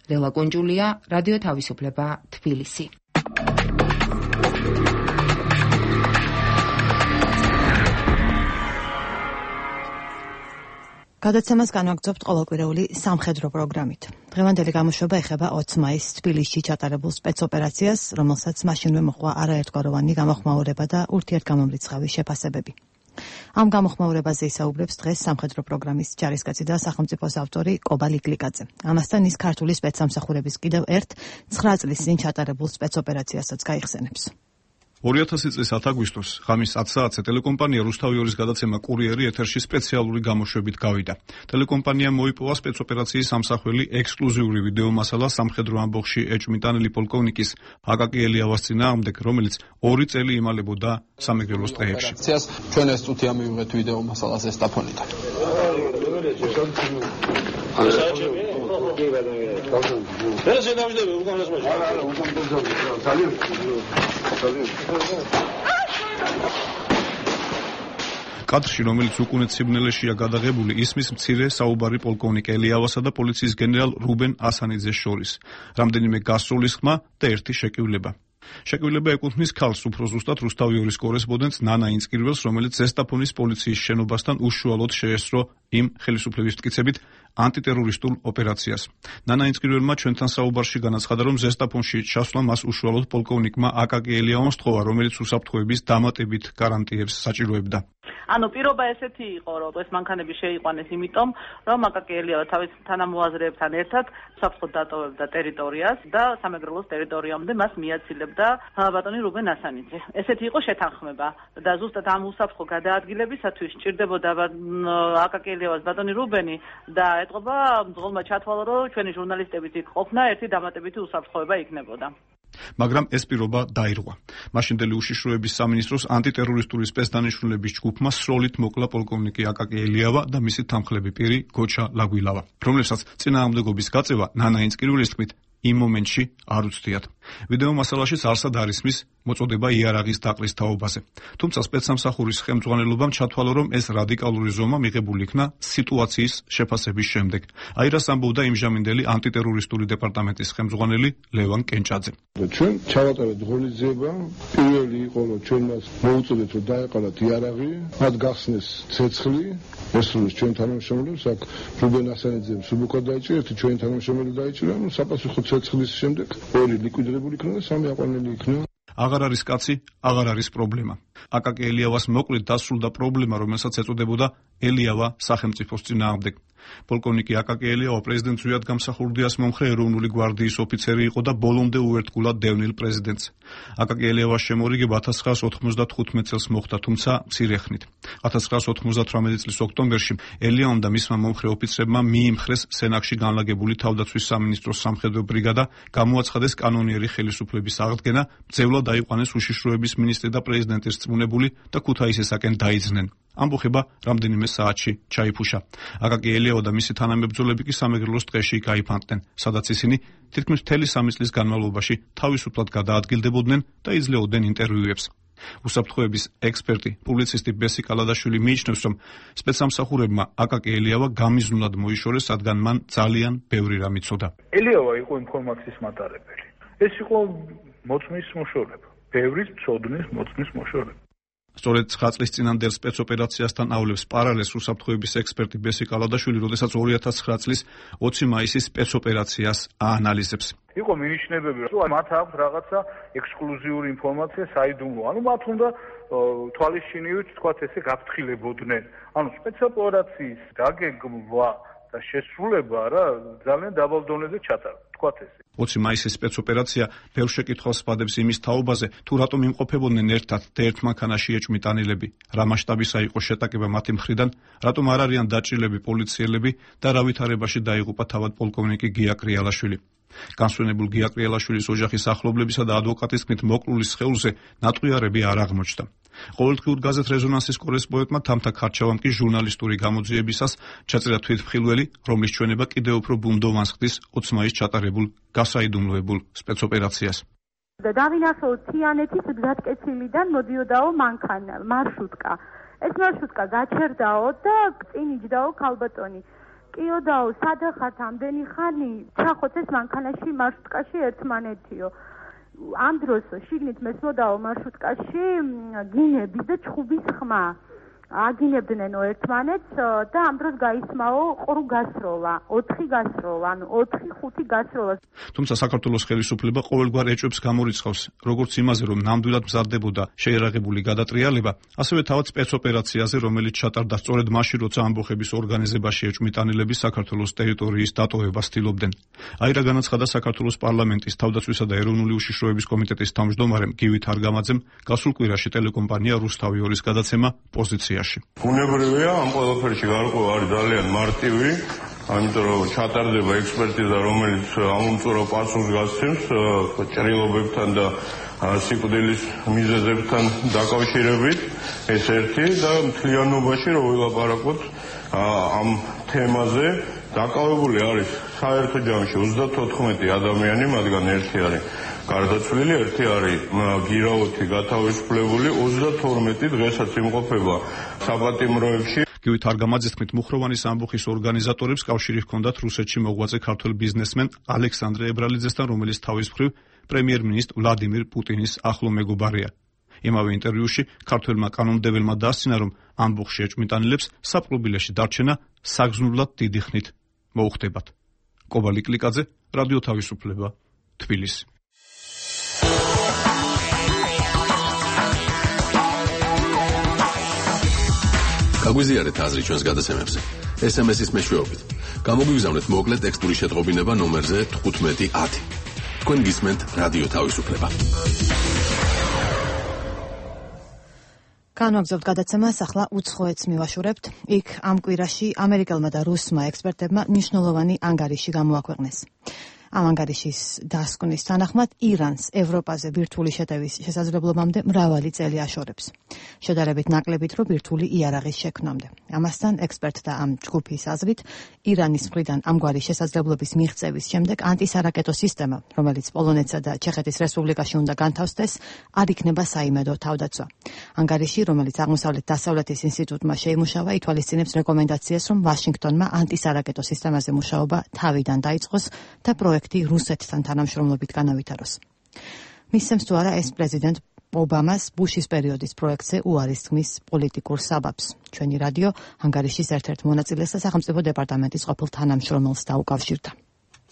Speaker 7: ლელა კუნჯულია, რადიო თავისუფლება, თბილისი.
Speaker 1: გადაცემას განვაგრძობთ ყოველკვირეული სამხედრო პროგრამით. დღევანდელი გამოშვება ეხება 20 მაისს თბილისში ჩატარებულ სპეცოპერაციას, რომელსაც მაშინვე მოჰყვა არაერთგვაროვანი გამოხმაურება და ურთიერთგამომრიცხავი შეფასებები. ამ გამოხმაურებაზე ისაუბრებს დღეს სამხედრო პროგრამის ჯარისკაცი და სახელმწიფოს ავტორი კობა ლიკლიკაძე. ამასთან ის ქართული სპეცსამსახურების კიდევ ერთ 9 წლის წინ ჩატარებულ სპეცოპერაციასაც გაიხსენებს.
Speaker 12: 2000 წლის 10 აგვისტოს ღამის 10 საათზე ტელეკომპანია რუსთავიორის გადაცემა კურიერი ეთერში სპეციალური გამოშვებით გავიდა. ტელეკომპანიამ მოიპოვა სპეცოპერაციის სამსახველი ექსკლუზიური ვიდეო მასალა სამხედრო ამბოხში ეჭვმიტანილი პოლკოვნიკის აკაკი ელიავას წინააღმდეგ, რომელიც 2 წელი იმალებოდა სამეგრელოს ტყეებში.
Speaker 13: ჩვენ ეს წუთი ამივიღეთ ვიდეო მასალას ესტაფონიდან.
Speaker 12: კადრში, რომელიც უკუნეთ სიბნელეშია გადაღებული, ისმის მცირე საუბარი პოლკოვნიკ ელიავასა და პოლიციის გენერალ რუბენ ასანიძეს შორის. რამდენიმე გასწვლის ხმა და ერთი შეკივლება. შეკივლება ეკუთვნის ქალს, უფრო ზუსტად რუსთავიორის კორესპონდენტს ნანა ინსკირველს, რომელიც ზესტაფონის პოლიციის შენობასთან უშუალოდ შეესწრო იმ ხელისუფლების მტკიცებით ანტიტერორისტულ ოპერაციას. ნანა ინწყირველმა ჩვენთან საუბარში განაცხადა, რომ ზესტაფონში ჩასვლა მას უშუალოდ პოლკოვნიკმა აკაკი ელიავამ სთხოვა, რომელიც უსაფრთხოების დამატებით გარანტიებს საჭიროებდა.
Speaker 14: ანუ პირობა ესეთი იყო, რომ ეს მანქანები შეიყვანეს იმიტომ, რომ აკაკი ელიავა თავის თანამოაზრეებთან ერთად უსაფრთხოდ დატოვებდა ტერიტორიას და სამეგრელოს ტერიტორიამდე მას მიაცილებდა ბატონი რუბენ ასანიძე. ესეთი იყო შეთანხმება და ზუსტად ამ უსაფრთხო გადაადგილებისათვის სჭირდებოდა აკაკი ელიავას ბატონი რუბენი და ეტყობა მძღოლმა ჩათვალა, რომ ჩვენი ჟურნალისტებით იქ ყოფნა ერთი დამატებითი უსაფრთხოება იქნებოდა.
Speaker 12: მაგრამ ეს პირობა დაირღვა. მაშინდელი უშიშროების სამინისტროს ანტიტერორისტული სპეცდანიშნულების ჯგუფმა სროლით მოკლა პოლკოვნიკი აკაკი ელიავა და მისი თანმხლები პირი გოჩა ლაგვილავა, რომლებსაც წინააღმდეგობის გაწევა ნანა ინწყირველის თქმით იმ მომენტში არ უცდიათ. ვიდეო მასალაშიც არსად არის მის მოწოდება იარაღის დაყრის თაობაზე. თუმცა სპეცსამსახურის ხელმძღვანელობამ ჩათვალა, რომ ეს რადიკალური ზომა მიღებული იქნა სიტუაციის შეფასების შემდეგ. აირას ამბობდა იმჟამინდელი ანტიტერორისტული დეპარტამენტის ხელმძღვანელი ლევან კენჭაძე.
Speaker 15: ჩვენ ჩავატარეთ ღონისძიება, პირველი იყო, რომ ჩვენ მას მოუწოდეთ, რომ დაეყარათ იარაღი, მათ გახსნეს ცეცხლი, ესრულეს ჩვენ თანამშრომლებს, აქ რუბენ ასანიძემ სუბუქად დაიჭირა, ერთი ჩვენი თანამშრომელი დაიჭირა, საპასუხო ცეცხლის შემდეგ ორი ლიკვიდირებული იქნა და სამი აყვანილი იქნა.
Speaker 12: აღარ არის კაცი, აღარ არის პრობლემა. აკაკი ელიავას მოკლედ დასრულდა პრობლემა, რომელსაც ეწოდებოდა ელიავა სახელმწიფოს წინააღმდეგ. პოლკოვნიკი აკაკი ელიავა პრეზიდენტ ზვიად გამსახურდიას მომხრე ეროვნული გვარდიის ოფიცერი იყო და ბოლომდე უერთგულად დევნილ პრეზიდენტს. აკაკი ელიავას შემორიგება 1995 წელს მოხდა, თუმცა მცირე ხნით. 1998 წლის ოქტომბერში ელიავამ და მისმა მომხრე ოფიცრებმა მიიმხრეს სენაკში განლაგებული თავდაცვის სამინისტროს სამხედრო ბრიგადა, გამოაცხადეს კანონიერი ხელისუფლების აღდგენა, მძევლად აიყვანეს უშიშროების მინისტრი და პრეზიდენტის რწმუნებული და ქუთაისისაკენ დაიძნენ. ამბოხება რამდენიმე საათში ჩაიფუშა. აკაკი ელიავა და მისი თანამებრძოლები კი სამეგრელოს ტყეში გაიფანტნენ, სადაც ისინი თითქმის მთელი 3 წლის განმავლობაში თავისუფლად გადაადგილდებოდნენ და იძლეოდნენ ინტერვიუებს. უსაფრთხოების ექსპერტი, პუბლიცისტი ბესი კალადაშვილი მიიჩნევს, რომ სპეცსამსახურებმა აკაკი ელიავა გამიზნულად მოიშორეს, რადგან მან ძალიან ბევრი რამ იცოდა.
Speaker 16: ელიავა იყო ინფორმაციის მატარებელი. ეს იყო მოწმის მოშორება, ბევრის ცოდნის მოწმის მოშორება.
Speaker 12: სწორედ 9 წლის წინანდელ სპეცოპერაციასთან ავლებს პარალელს უსაფრთხოების ექსპერტი ბესი კალადაშვილი, როდესაც 2009 წლის 20 მაისის სპეცოპერაციას აანალიზებს.
Speaker 16: იყო მინიშნებები, რომ მათ აქვს რაღაცა ექსკლუზიური ინფორმაცია საიდუმლო. ანუ მათ უნდა თვალისჩინივით თქვათ ესე გაფრთხილებოდნენ. ანუ სპეცოპერაციის დაგეგმვა და შესრულება რა ძალიან დაბალ დონეზე ჩატარდა, თქვათ ესე.
Speaker 12: 20 მაისის სპეცოპერაცია ბევრ შეკითხვას სპადებს იმის თაობაზე, თუ რატომ იმყოფებოდნენ ერთად და ერთ მანქანაში ეჭვმიტანილები, რა მასშტაბისა იყო შეტაკება მათი მხრიდან, რატომ არ არიან დაჭრილები პოლიციელები და რა ვითარებაში დაიღუპა თავად პოლკოვნიკი გია კრიალაშვილი. განსვენებულ გია კრიალაშვილის ოჯახის ახლობლებისა და ადვოკატის თქმით მოკლულის სხეულზე ნატყვიარები არ აღმოჩნდა. ყოველდღიურ გაზეთ რეზონანსის კორესპონდენტმა თამთა ქარჩავამ კი ჟურნალისტური გამოძიებისას ჩაწერა თვითმხილველი, რომლის ჩვენება კიდევ უფრო ბუნდოვანს ხდის 20 მაისს ჩატარებულ გასაიდუმლოებულ სპეცოპერაციას.
Speaker 17: და დავინახოთ თიანეთის გზატკეცილიდან მოდიოდაო მანქანა, მარშრუტკა. ეს მარშრუტკა გაჩერდაო და წინ იჯდაო ქალბატონი. კიოდაო, სადა ხართ ამდენი ხანი? ჩახოთ ეს მანქანაში მარშრუტკაში ერთმანეთიო. ამ დროს შიგნით მესმოდაო მარშრუტკაში გინების და ჩხუბის ხმა. აგინებდნენო ერთმანეთს და ამ დროს გაისმაო ყრუ გასროლა, 4 გასროლა, ანუ 4-5 გასროლა.
Speaker 12: თუმცა საქართველოს ხელისუფლება ყოველგვარ ეჭვებს გამორიცხავს, როგორც იმაზე, რომ ნამდვილად მზადდებოდა შეიარაღებული გადატრიალება, ასევე თავად სპეცოპერაციაზე, რომელიც ჩატარდა სწორედ მაშინ, როცა ამბოხების ორგანიზებაში ეჭვმიტანილები საქართველოს ტერიტორიის დატოვებას ცდილობდნენ. აირა განაცხადა საქართველოს პარლამენტის თავდაცვისა და ეროვნული უშიშროების კომიტეტის თავმჯდომარემ გივით არგამაძემ გასულ კვირაში ტელეკომპანია რუსთავი 2-ის გადაცემა პოზიციაში.
Speaker 18: უნებრივია ამ ყველაფერში გარკვევა არის ძალიან მარტივი, ამიტომ რომ ჩატარდება ექსპერტიზა, რომელიც ამომწურო პასუხს გასცემს ჭრილობებთან და სიკვდილის მიზეზებთან დაკავშირებით, ეს ერთი და მთლიანობაში რომ ვილაპარაკოთ ამ თემაზე, დაკავებული არის საერთო ჯამში 34 ადამიანი, მათგან ერთი არის გარდაცვლილი, ერთი არის გირავოთი გათავისუფლებული, 32 დღესაც იმყოფება საპატიმროებში.
Speaker 12: გივით არგამაძის თქმით, მუხროვანის ამბოხის ორგანიზატორებს კავშირი ჰქონდათ რუსეთში მოღვაწე ქართველ ბიზნესმენ ალექსანდრე ებრალიძესთან, რომელიც თავის მხრივ პრემიერ-მინისტრ ვლადიმირ პუტინის ახლო მეგობარია. იმავე ინტერვიუში ქართველმა კანონმდებლმა დაასცინა, რომ ამბოხში ეჭვმიტანილებს საპყრობილეში დარჩენა საგზნურად დიდი ხნით მოუხდებათ. კობალი კლიკაძე, რადიო თავისუფლება, თბილისი.
Speaker 19: გაგვიზიარეთ აზრი ჩვენს გადაცემებზე. SMS-ის მეშვეობით. გამოგვიგზავნეთ მოკლე ტექსტური შეტყობინება ნომერზე 1510. თქვენ გისმენთ რადიო თავისუფლება.
Speaker 1: განვაგრძობთ გადაცემას, ახლა უცხოეთს მივაშურებთ. იქ ამ კვირაში ამერიკელმა და რუსმა ექსპერტებმა მნიშვნელოვანი ანგარიში გამოაქვეყნეს. ამ ანგარიშის დასკვნის თანახმად ირანს ევროპაზე ბირთვული შეტევის შესაძლებლობამდე მრავალი წელი აშორებს. შედარებით ნაკლებით, რომ ბირთვული იარაღის შექმნამდე. ამასთან ექსპერტთა ამ ჯგუფის აზრით, ირანის მხრიდან ამგვარი შესაძლებლობის მიღწევის შემდეგ ანტისარაკეტო სისტემა, რომელიც პოლონეთსა და ჩეხეთის რესპუბლიკაში უნდა განთავსდეს, არ იქნება საიმედო თავდაცვა. ანგარიში, რომელიც აღმოსავლეთ-დასავლეთის ინსტიტუტმა შეიმუშავა, ითვალისწინებს რეკომენდაციას, რომ ვაშინგტონმა ანტისარაკეტო სისტემაზე მუშაობა თავიდან დაიწყოს და პროექტი რუსეთთან თანამშრომლობით განავითაროს. მისცემს თუ არა ეს პრეზიდენტ ობამას ბუშის პერიოდის პროექტზე უარის თქმის პოლიტიკურ საბაბს. ჩვენი რადიო ანგარიშის ერთ-ერთ მონაწილეს და სახელმწიფო დეპარტამენტის ყოფილ თანამშრომელს დაუკავშირდა.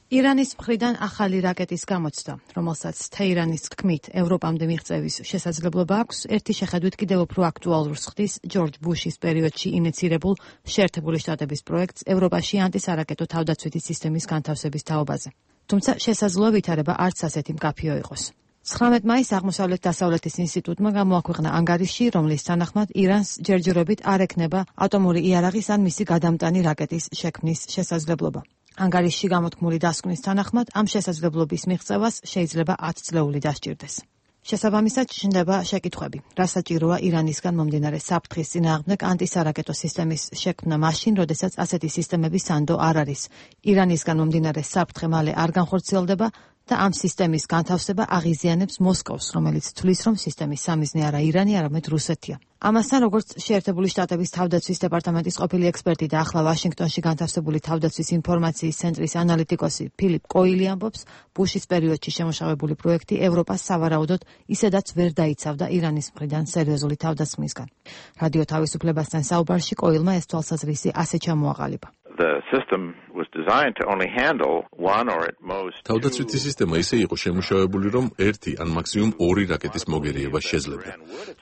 Speaker 1: ირანის მხრიდან ახალი რაკეტის გამოცდა, რომელსაც თეირანის თქმით ევროპამდე მიღწევის შესაძლებლობა აქვს, ერთი შეხედვით კიდევ უფრო აქტუალურს ხდის ჯორჯ ბუშის პერიოდში ინიცირებულ შეერთებული შტატების პროექტს ევროპაში ანტისარაკეტო თავდაცვითი სისტემის განთავსების თაობაზე. თუმცა შესაძლოა ვითარება არც ასეთი მკაფიო იყოს. 19 მაისს აღმოსავლეთ-დასავლეთის ინსტიტუტმა გამოაქვეყნა ანგარიში, რომლის თანახმად ირანს ჯერჯერობით არ ექნება ატომური იარაღის ან მისი გადამტანი რაკეტის შექმნის შესაძლებლობა. ანგარიშში გამოთქმული დასკვნის თანახმად ამ შესაძლებლობის მიღწევას შეიძლება 10 წლეული დასჭირდეს. შესაბამისად ჩნდება შეკითხვები, რა საჭიროა ირანისგან მომდინარე საფრთხის წინააღმდეგ ანტისარაკეტო სისტემის შექმნა მაშინ, როდესაც ასეთი სისტემების სანდო არ არის. ირანისგან მომდინარე საფრთხე მალე არ განხორციელდება და ამ სისტემის განთავსება აღიზიანებს მოსკოვს, რომელიც თვლის, რომ სისტემის სამიზნე არა ირანი, არამედ რუსეთია. ამასთან, როგორც შეერთებული შტატების თავდაცვის დეპარტამენტის ყოფილი ექსპერტი და ახლა ვაშინგტონში განთავსებული თავდაცვის ინფორმაციის ცენტრის ანალიტიკოსი ფილიპ კოილი ამბობს, ბუშის პერიოდში შემუშავებული პროექტი ევროპას სავარაუდოდ ისედაც ვერ დაიცავდა ირანის მხრიდან სერიოზული თავდასხმისგან. რადიო თავისუფლებასთან საუბარში კოილმა ეს თვალსაზრისი ასე ჩამოაყალიბა.
Speaker 20: The system was designed to only handle one or at most
Speaker 19: თავდაცვითი სისტემა ისე იყო შემუშავებული, რომ ერთი ან მაქსიმუმ ორი რაკეტის მოგერიება შეძლებდა.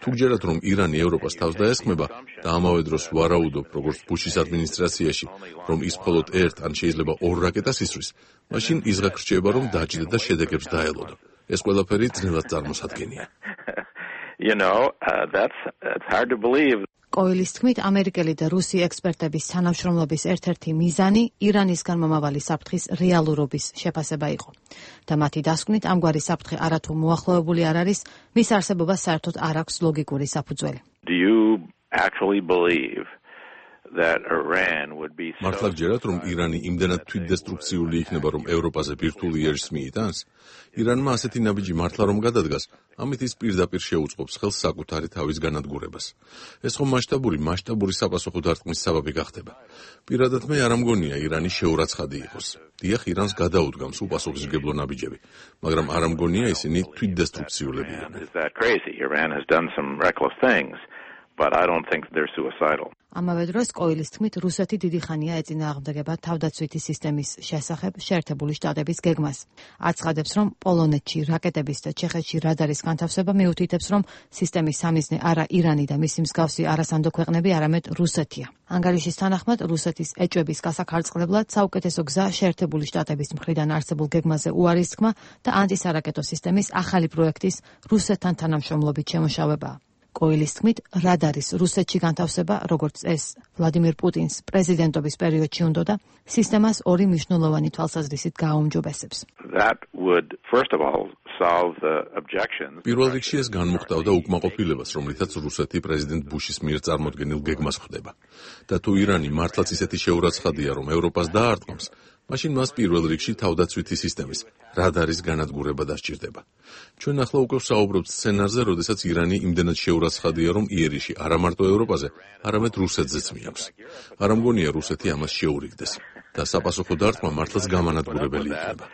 Speaker 19: თუ გჯერათ, რომ ირანი ევროპას თავს დაესხმება და ამავე დროს ვარაუდობ, როგორც ბუშის ადმინისტრაციაში, რომ ის მხოლოდ ერთ ან შეიძლება ორ რაკეტას ისვრის, მაშინ იზღაკ რჩება, რომ დაჯდა და შედეგებს დაელოდო. ეს ყველაფერი ძნელად წარმოსადგენია.
Speaker 20: That's hard to believe.
Speaker 1: კოილის თქმით, ამერიკელი და რუსი ექსპერტების თანამშრომლობის ერთ-ერთი მიზანი ირანისგან მომავალი საფრთხის რეალურობის შეფასება იყო. და მათი დასკვნით, ამგვარი საფრთხე არათუ მოახლოებული არ არის, მის არსებობას საერთოდ არ აქვს ლოგიკური საფუძველი.
Speaker 20: Do you actually believe that Iran would be so
Speaker 19: მართლა გჯერათ, რომ ირანი იმდენად თვითდესტრუქციული იქნება, რომ ევროპაზე ბირთვული იარაღს მიიტანს? ირანმა ასეთი ნაბიჯი მართლა რომ გადადგას, ამით ის პირდაპირ შეუწყობს ხელს საკუთარი თავის განადგურებას. ეს ხომ მასშტაბური საპასუხო დარტყმის საბაბი გახდება. პირადად მე არ ამგონია ირანი შეურაცხადი იყოს. დიახ, ირანს გადაუდგამს უპასუხისმგებლო ნაბიჯები, მაგრამ არ ამგონია ისინი თვითდესტრუქციულები
Speaker 20: იყვნენ. But I don't think they're suicidal.
Speaker 1: ამავე დროს კოილის თქმით, რუსეთი დიდი ხანია ეწინააღმდეგება თავდაცვითი სისტემის შესახებ შეერთებული შტატების გეგმას. აცხადებს, რომ პოლონეთში რაკეტების და ჩეხეთში რადარის განთავსება მიუთითებს, რომ სისტემის სამიზნე არა ირანი და მისი მსგავსი არასანდო ქვეყნები, არამედ რუსეთია. ანგარიშის თანახმად, რუსეთის ეჭვების გასახარწყლებლად საუკეთესო გზა შეერთებული შტატების მხრიდან არსებულ გეგმაზე უარის თქმა და ანტისარაკეტო სისტემის ახალი პროექტის რუსეთთან თანამშრომლობით შემუშავებაა. კოილის თქმით, რადარის რუსეთში განთავსება, როგორც ეს ვლადიმირ პუტინს პრეზიდენტობის პერიოდში უნდოდა, სისტემას ორი მნიშვნელოვანი თვალსაზრისით გააუმჯობესებს.
Speaker 19: პირველ რიგში ეს განმუხტავდა უკმაყოფილებას, რომლითაც რუსეთი პრეზიდენტ ბუშის მიერ წარმოდგენილ გეგმას ხვდება. და თუ ირანი მართლაც ისეთი შეურაცხადია, რომ ევროპას დაარტყამს, მაშინ მას პირველ რიგში თავდაცვითი სისტემის რადარის განადგურება დასჭირდება. ჩვენ ახლა უკვე ვსაუბრობთ სცენარზე, როდესაც ირანი იმდენად შეურაცხადია, რომ იერიში არა მარტო ევროპაზე, არამედ რუსეთზეც მიაქვს. არ ამგონია რუსეთი ამას შეურიგდეს და საპასუხო დარტყმა მართლაც გამანადგურებელი იქნება.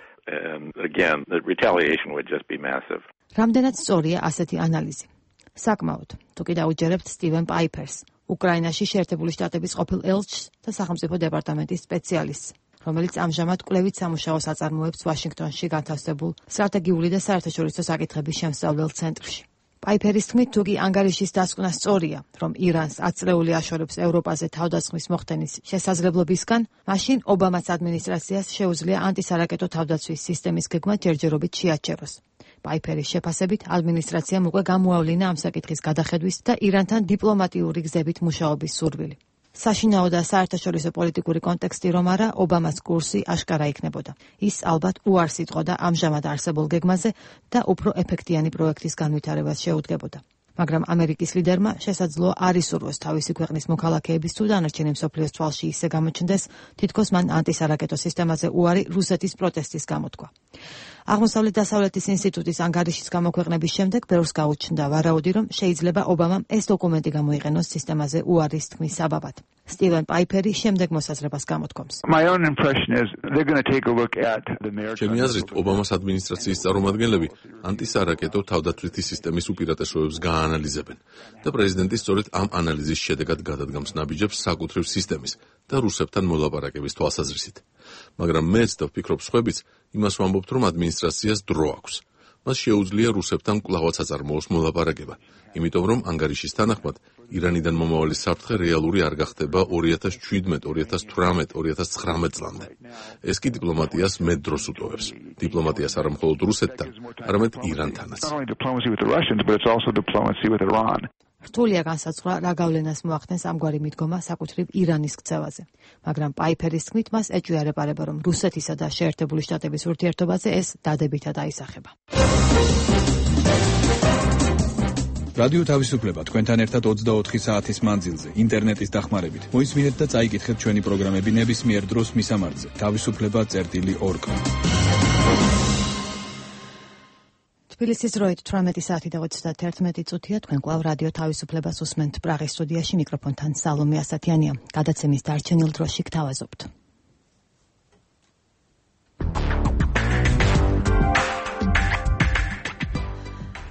Speaker 20: Again, the retaliation would just be massive.
Speaker 1: რამდენად სწორია ასეთი ანალიზი? საკმაოდ. თუ კი დაუჯერებთ სტივენ პაიფერს, უკრაინაში შეერთებული შტატების ყოფილ ელჩს და სახელმწიფო დეპარტამენტის სპეციალისტს, რომელიც ამჟამად კვლევით სამუშაოს აწარმოებს ვაშინგტონში განთავსებულ სტრატეგიული და საერთაშორისო საკითხების შემსწავლელ ცენტრში. პაიფერის თქმით, თუ კი ანგარიშის დასკვნა სწორია, რომ ირანს აწლეული აშორებს ევროპაზე თავდასხმის მოხდენის შესაძლებლობისგან, მაშინ ობამას ადმინისტრაციას შეუძლია ანტისარაკეტო თავდაცვის სისტემის გეგმა ჯერჯერობით შეაჩეროს. პაიფერის შეფასებით, ადმინისტრაციამ უკვე გამოავლინა ამ საკითხის გადახედვის და ირანთან დიპლომატიური გზებით მუშაობის სურვილი. საშინაო და საერთაშორისო პოლიტიკური კონტექსტი რომ არა, ობამას კურსი აშკარა იქნებოდა. ის ალბათ უარს იტყოდა ამჟამად არსებულ გეგმაზე და უფრო ეფექტიანი პროექტის განვითარებას შეუდგებოდა. მაგრამ ამერიკის ლიდერმა შესაძლოა არ ისურვოს თავისი ქვეყნის მოქალაქეების თუ დანარჩენი მსოფლიოს თვალში ისე გამოჩნდეს, თითქოს მან ანტისარაკეტო სისტემაზე უარი რუსეთის პროტესტის გამოთქვა. აღმოსავლეთ-დასავლეთის ინსტიტუტის ანგარიშის გამოქვეყნების შემდეგ ბევრს გაუჩნდა ვარაუდი, რომ შეიძლება ობამამ ეს დოკუმენტი გამოიყენოს სისტემაზე უარის თქმის საბაბად. სტივენ პაიფერი შემდეგ მოსაზრებას გამოთქვამს.
Speaker 19: ჩემი აზრით, ობამას ადმინისტრაციის წარმომადგენლები ანტისარაკეტო თავდაცვითი სისტემის უპირატესობებს გააანალიზებენ და პრეზიდენტი სწორედ ამ ანალიზის შედეგად გადადგამს ნაბიჯებს საკუთრივ სისტემის და რუსებთან მოლაპარაკების თვალსაზრისით. მაგრამ მეც და ვფიქრობ სხვაებიც იმას ვამბობთ, რომ ადმინისტრაციას დრო აქვს. მას შეუძლია რუსებთან კვლავაც აწარმოოს მოლაპარაკება, იმიტომ რომ ანგარიშის თანახმად ირანიდან მომავალი საფრთხე რეალური არ გახდება 2017, 2018, 2019 წლამდე. ეს კი დიპლომატიას მეტ დროს უტოვებს. დიპლომატიას არა მხოლოდ რუსეთთან, არამედ ირანთანაც.
Speaker 1: რთულია განსაცვლა რა გავლენას მოახდენს ამგვარი მიდგომა საკუთრივ ირანის ქცევაზე, მაგრამ პაიფერის თქმით მას ეჭვიარეპარება, რომ რუსეთისა და შეერთებული შტატების ურთიერთობაზე ეს დადებითად აისახება.
Speaker 2: რადიო თავისუფლება თქვენთან ერთად 24 საათის მანძილზე ინტერნეტის დახმარებით. მოისმინეთ და წაიკითხეთ ჩვენი პროგრამები ნებისმიერ დროს მისამართზე თავისუფლება.org. თბილისის დროით 18 საათი და 31 წუთია. თქვენ კვლავ რადიო თავისუფლებას უსმენთ პრაღის სტუდიაში, მიკროფონთან სალომე ასათიანია. გადაცემის დარჩენილ დროში გთავაზობთ.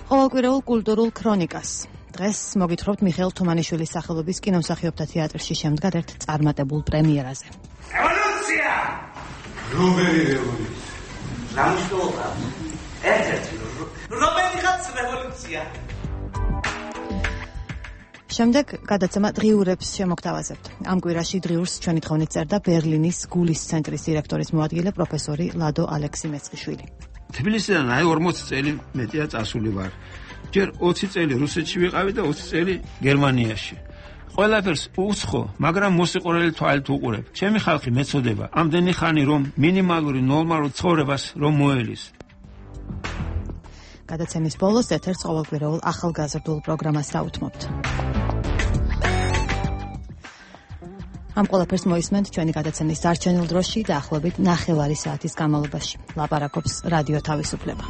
Speaker 2: ყოველკვირეულ კულტურულ ქრონიკას. დღეს მოგითხრობთ მიხეილ თუმანიშვილის სახელობის კინომსახიობთა თეატრში შემდგარ ერთ წარმატებულ პრემიერაზე.
Speaker 5: რევოლუცია!
Speaker 11: რომელი რევოლუცია?
Speaker 5: ნამუშევრობა. ერთ-ერთი რომელიღაც რევოლუცია.
Speaker 1: შემდეგ გადაცემა დღიურებს შემოგთავაზებთ. ამ კვირაში დღიურს ჩვენი თხოვნით წერდა ბერლინის გულის ცენტრის დირექტორის მოადგილე პროფესორი ლადო ალექსი-მეცხიშვილი.
Speaker 6: თბილისიდან 40 წელი მეტია წასული ვარ. ჯერ 20 წელი რუსეთში ვიყავი და 20 წელი გერმანიაში. ყველაფერს უცხო, მაგრამ მოსიყვარელი თვალით უყურებ. ჩემი ხალხი მეწოდება ამდენი ხანი რომ მინიმალური ნორმალურ ცხოვრებას რომ მოელის.
Speaker 1: გადაცემის ბოლოს ეთერს ყოველკვირეულ ახალგაზრდულ პროგრამას დაუთმობთ. ამ ყველაფერს მოისმენთ ჩვენი გადაცემის დარჩენილ დროში და ახლობით 9 საათის განმავლობაში. ლაპარაკობს რადიო თავისუფლება.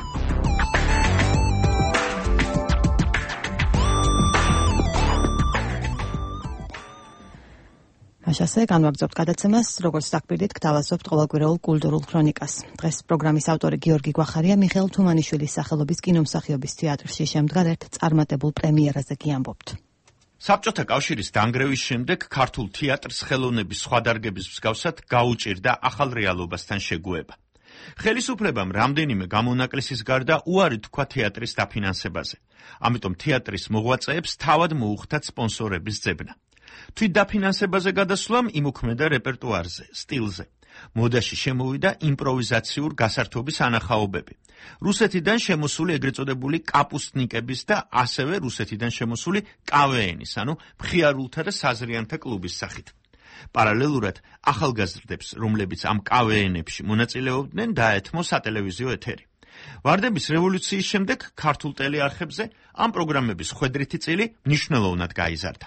Speaker 1: მაშასე განვაგრძობთ გადაცემას, როგორც დაგპირდით, გთავაზობთ ყოველკვირეულ კულტურულ ქრონიკას. დღეს პროგრამის ავტორი გიორგი გვახარია მიხეილ თუმანიშვილის სახელობის კინომსახიობის თეატრში შემდგარ ერთ წარმატებულ პრემიერაზე გიამბობთ.
Speaker 21: საბჭოთა კავშირის დანგრევის შემდეგ ქართულ თეატრს ხელოვნების სხვა დარგების მსგავსად გაუჭირდა ახალ რეალობასთან შეგუება. ხელისუფლებამ რამდენიმე გამონაკლისის გარდა უარი თქვა თეატრის დაფინანსებაზე. ამიტომ თეატრის მოღვაწეებს თავად მოუხდათ სპონსორების ძებნა. თვით დაფინანსებაზე გადასვლამ იმუქმედა რეპერტუარზე, სტილზე. მოდაში შემოვიდა იმპროვიზაციურ გასართობის ანახაობები. რუსეთიდან შემოსული ეგრეთ წოდებული კაპუსტნიკების და ასევე რუსეთიდან შემოსული კავეენის, ანუ მხიარულთა და საზრიანთა კლუბის სახით. პარალელურად ახალგაზრდებს, რომლებიც ამ კავეენებში მონაწილეობდნენ, დაეთმო სატელევიზიო ეთერი. ვარდების რევოლუციის შემდეგ ქართულ ტელეარხებზე ამ პროგრამების ხვედრითი წილი მნიშვნელოვნად გაიზარდა.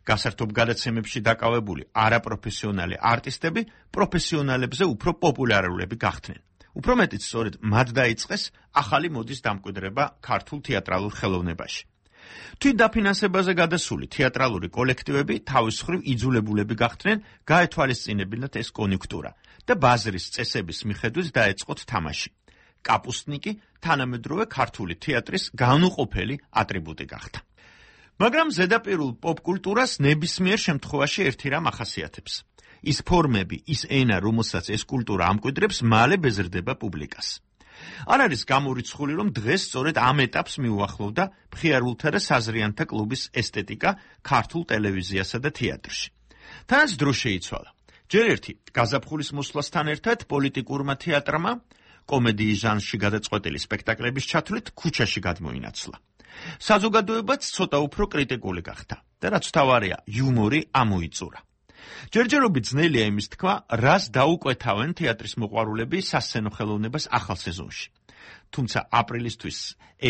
Speaker 21: გასართობ გადაცემებში დაკავებული არაპროფესიონალი არტისტები პროფესიონალებზე უფრო პოპულარულები გახდნენ. უფრო მეტიც სწორედ მათ დაიწყეს ახალი მოდის დამკვიდრება ქართულ თეატრალურ ხელოვნებაში. თვით დაფინანსებაზე გადასული თეატრალური კოლექტივები თავის მხრივ იძულებულები გახდნენ გაეთვალისწინებინათ ეს კონიუნქტურა და ბაზრის წესების მიხედვით დაეწყოთ თამაში. კაპუსტნიკი თანამედროვე ქართული თეატრის განუყოფელი ატრიბუტი გახდა. მაგრამ ზედაპირულ პოპკულტურას ნებისმიერ შემთხვევაში ერთი რამ ახასიათებს. ის ფორმები, ის ენა, რომელსაც ეს კულტურა ამკვიდრებს, მალე ბეზრდება პუბლიკას. არ არის გამორიცხული, რომ დღეს სწორედ ამ ეტაპს მიუახლოვდა მხიარულთა და საზრიანთა კლუბის ესთეტიკა ქართულ ტელევიზიასა და თეატრში. თანაც დრო შეიცვალა. ჯერ ერთი გაზაფხულის მოსვლასთან ერთად პოლიტიკურმა თეატრმა კომედიის ჟანრში გადაწყვეტილი სპექტაკლების ჩათვლით ქუჩაში გადმოინაცვლა. საზოგადოებაც ცოტა უფრო კრიტიკული გახდა და რაც თავარია, იუმორი ამოიწურა. ჯერჯერობით ძნელია იმის თქვა, რას დაუკვეთავენ თეატრის მოყვარულები სასცენო ხელოვნებას ახალ სეზონში. თუმცა აპრილისთვის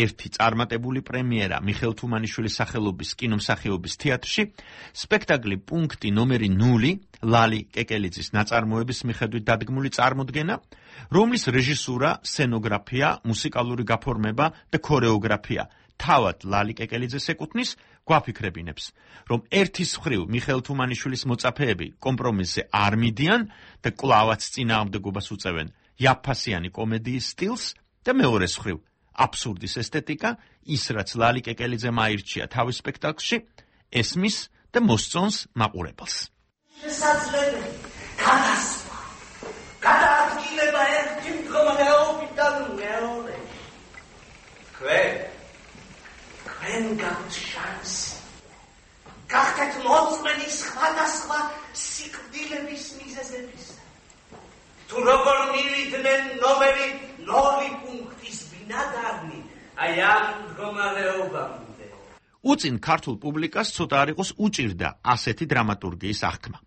Speaker 21: ერთი წარმატებული პრემიერა მიხეილ თუმანიშვილის სახელობის კინომსახიობის თეატრში, სპექტაკლი პუნქტი ნომერი 0 ლალი კეკელიძის ნაწარმოების მიხედვით დადგმული წარმოდგენა, რომლის რეჟისურა, სცენოგრაფია, მუსიკალური გაფორმება და ქორეოგრაფია თავად ლალი კეკელიძეს ეკუთვნის, გვაფიქრებინებს, რომ ერთის მხრივ მიხეილ თუმანიშვილის მოწაფეები კომპრომისზე არ მიდიან და კვლავაც წინააღმდეგობას უწევენ იაფფასიანი კომედიის სტილს და მეორეს მხრივ აბსურდის ესთეტიკა, ის რაც ლალი კეკელიძემ აირჩია თავის სპექტაკლში, ესმის და მოსწონს მაყურებელს.
Speaker 5: შესაძლებელი გადასვლა, გადაადგილება ერთი მდგომარეობიდან მეორე. თქვენ გაქვთ შანსი. გახდეთ მოწმენი სხვადასხვა სიკვდილების მიზეზების. თუ როგორ მივიდნენ ნომერი 0 პუნქტის ბინადარნი, აი ამ მდგომარეობამდე.
Speaker 21: უწინ ქართულ პუბლიკას ცოტა არ იყოს უჭირდა ასეთი დრამატურგიის აღქმა.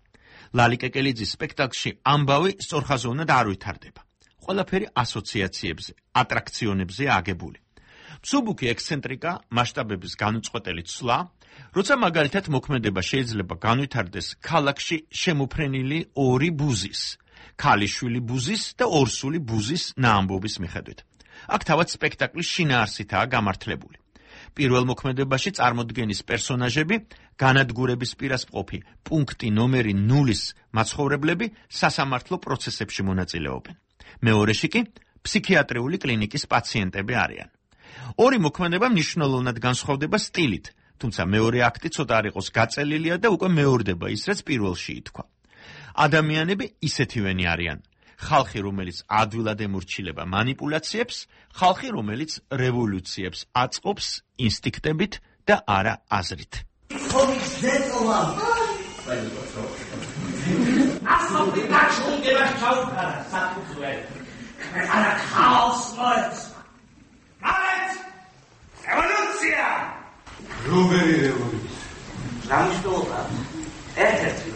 Speaker 21: ლალი კეკელიძის სპექტაკლში ამბავი სწორხაზოვნად არ ვითარდება. ყველაფერი ასოციაციებზე, ატრაქციონებზე აგებული. მსუბუქი ექსცენტრიკა, მასშტაბების განუწყვეტელი ცვლა, როცა მაგალითად მოქმედება შეიძლება განვითარდეს ქალაქში შემოფრენილი ორი ბუზის, ქალიშვილი ბუზის და ორსული ბუზის ნაამბობის მიხედვით. აქ თავად სპექტაკლის შინაარსითაა გამართლებული. პირველ მოქმედებაში წარმოდგენის პერსონაჟები, განადგურების პირას მყოფი პუნქტი ნომერი 0-ის მაცხოვრებლები სასამართლო პროცესებში მონაწილეობენ. მეორეში კი ფსიქიატრიული კლინიკის პაციენტები არიან. ორი მოქმედება მნიშვნელოვნად განსხვავდება სტილით, თუმცა მეორე აქტი ცოტა არ იყოს გაწელილია და უკვე მეორდება ის, რაც პირველში ითქვა. ადამიანები ისეთივენი არიან. ხალხი, რომელიც ადვილად ემორჩილება манипуляციებს, ხალხი, რომელიც რევოლუციებს აწყობს ინსტინქტებით და არა აზრით.
Speaker 5: ხომის ზეწოლა. ასობი გაჩუნდება ჩაუქარა საფუძვე. არა ხალხს მოეცვა. მარეთ! რევოლუცია!
Speaker 11: რომელი რევოლუცია?
Speaker 5: რამიშტოლა. ერთ-ერთი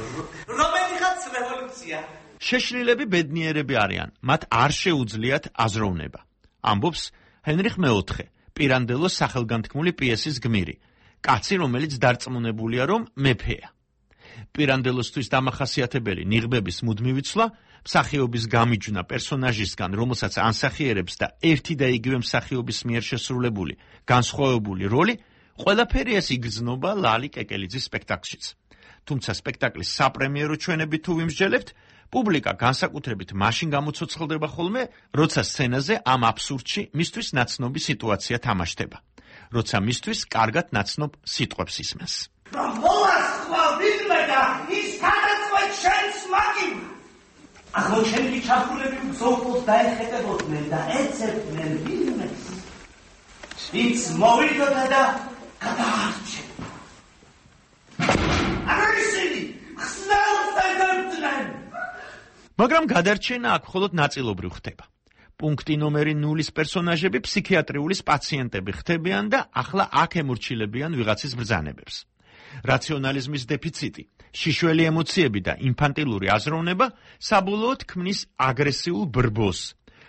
Speaker 5: რომელიღაც რევოლუცია.
Speaker 21: შეშლილები ბედნიერები არიან, მათ არ შეუძლიათ აზროვნება. ამბობს ჰენრიხ მეოთხე, პირანდელოს სახელგანთქმული პიესის გმირი, კაცი, რომელიც დარწმუნებულია, რომ მეფეა. პირანდელოსთვის დამახასიათებელი ნიღბების მუდმივი ცვლა, მსახიობის გამიჯვნა პერსონაჟისგან, რომელსაც ანსახიერებს და ერთი და იგივე მსახიობის მიერ შესრულებული განსხვავებული როლი, ყველაფერი ეს იგრძნობა ლალი კეკელიძის სპექტაკლშიც. თუმცა სპექტაკლის საპრემიერო ჩვენები თუ ვიმსჯელებთ, პუბლიკა განსაკუთრებით მაშინ გამოცოცხლდება ხოლმე, როცა სცენაზე ამ აბსურდში მისთვის ნაცნობი სიტუაცია თამაშდება, როცა მისთვის კარგად ნაცნობ სიტყვებს ისმენს.
Speaker 5: მოვასხვა ვინმე და ის გადაწყვეტ შენს მაგიმ. აღმოჩენილი ჩაფულები მსოფლოს დაეხეტებოდნენ და ეცებდნენ ვინმეს. ის მოვიდოდა და გადაარჩენდა. აღარისინი, ხსნელს დადებდნენ.
Speaker 21: მაგრამ გადარჩენა აქ მხოლოდ ნაწილობრივ ხდება. პუნქტი ნომერი 0-ის პერსონაჟები ფსიქიატრიულის პაციენტები ხდებიან და ახლა აქ ემორჩილებიან ვიღაცის ბრძანებებს. რაციონალიზმის დეფიციტი, შიშველი ემოციები და ინფანტილური აზროვნება საბოლოოდ ქმნის აგრესიულ ბრბოს,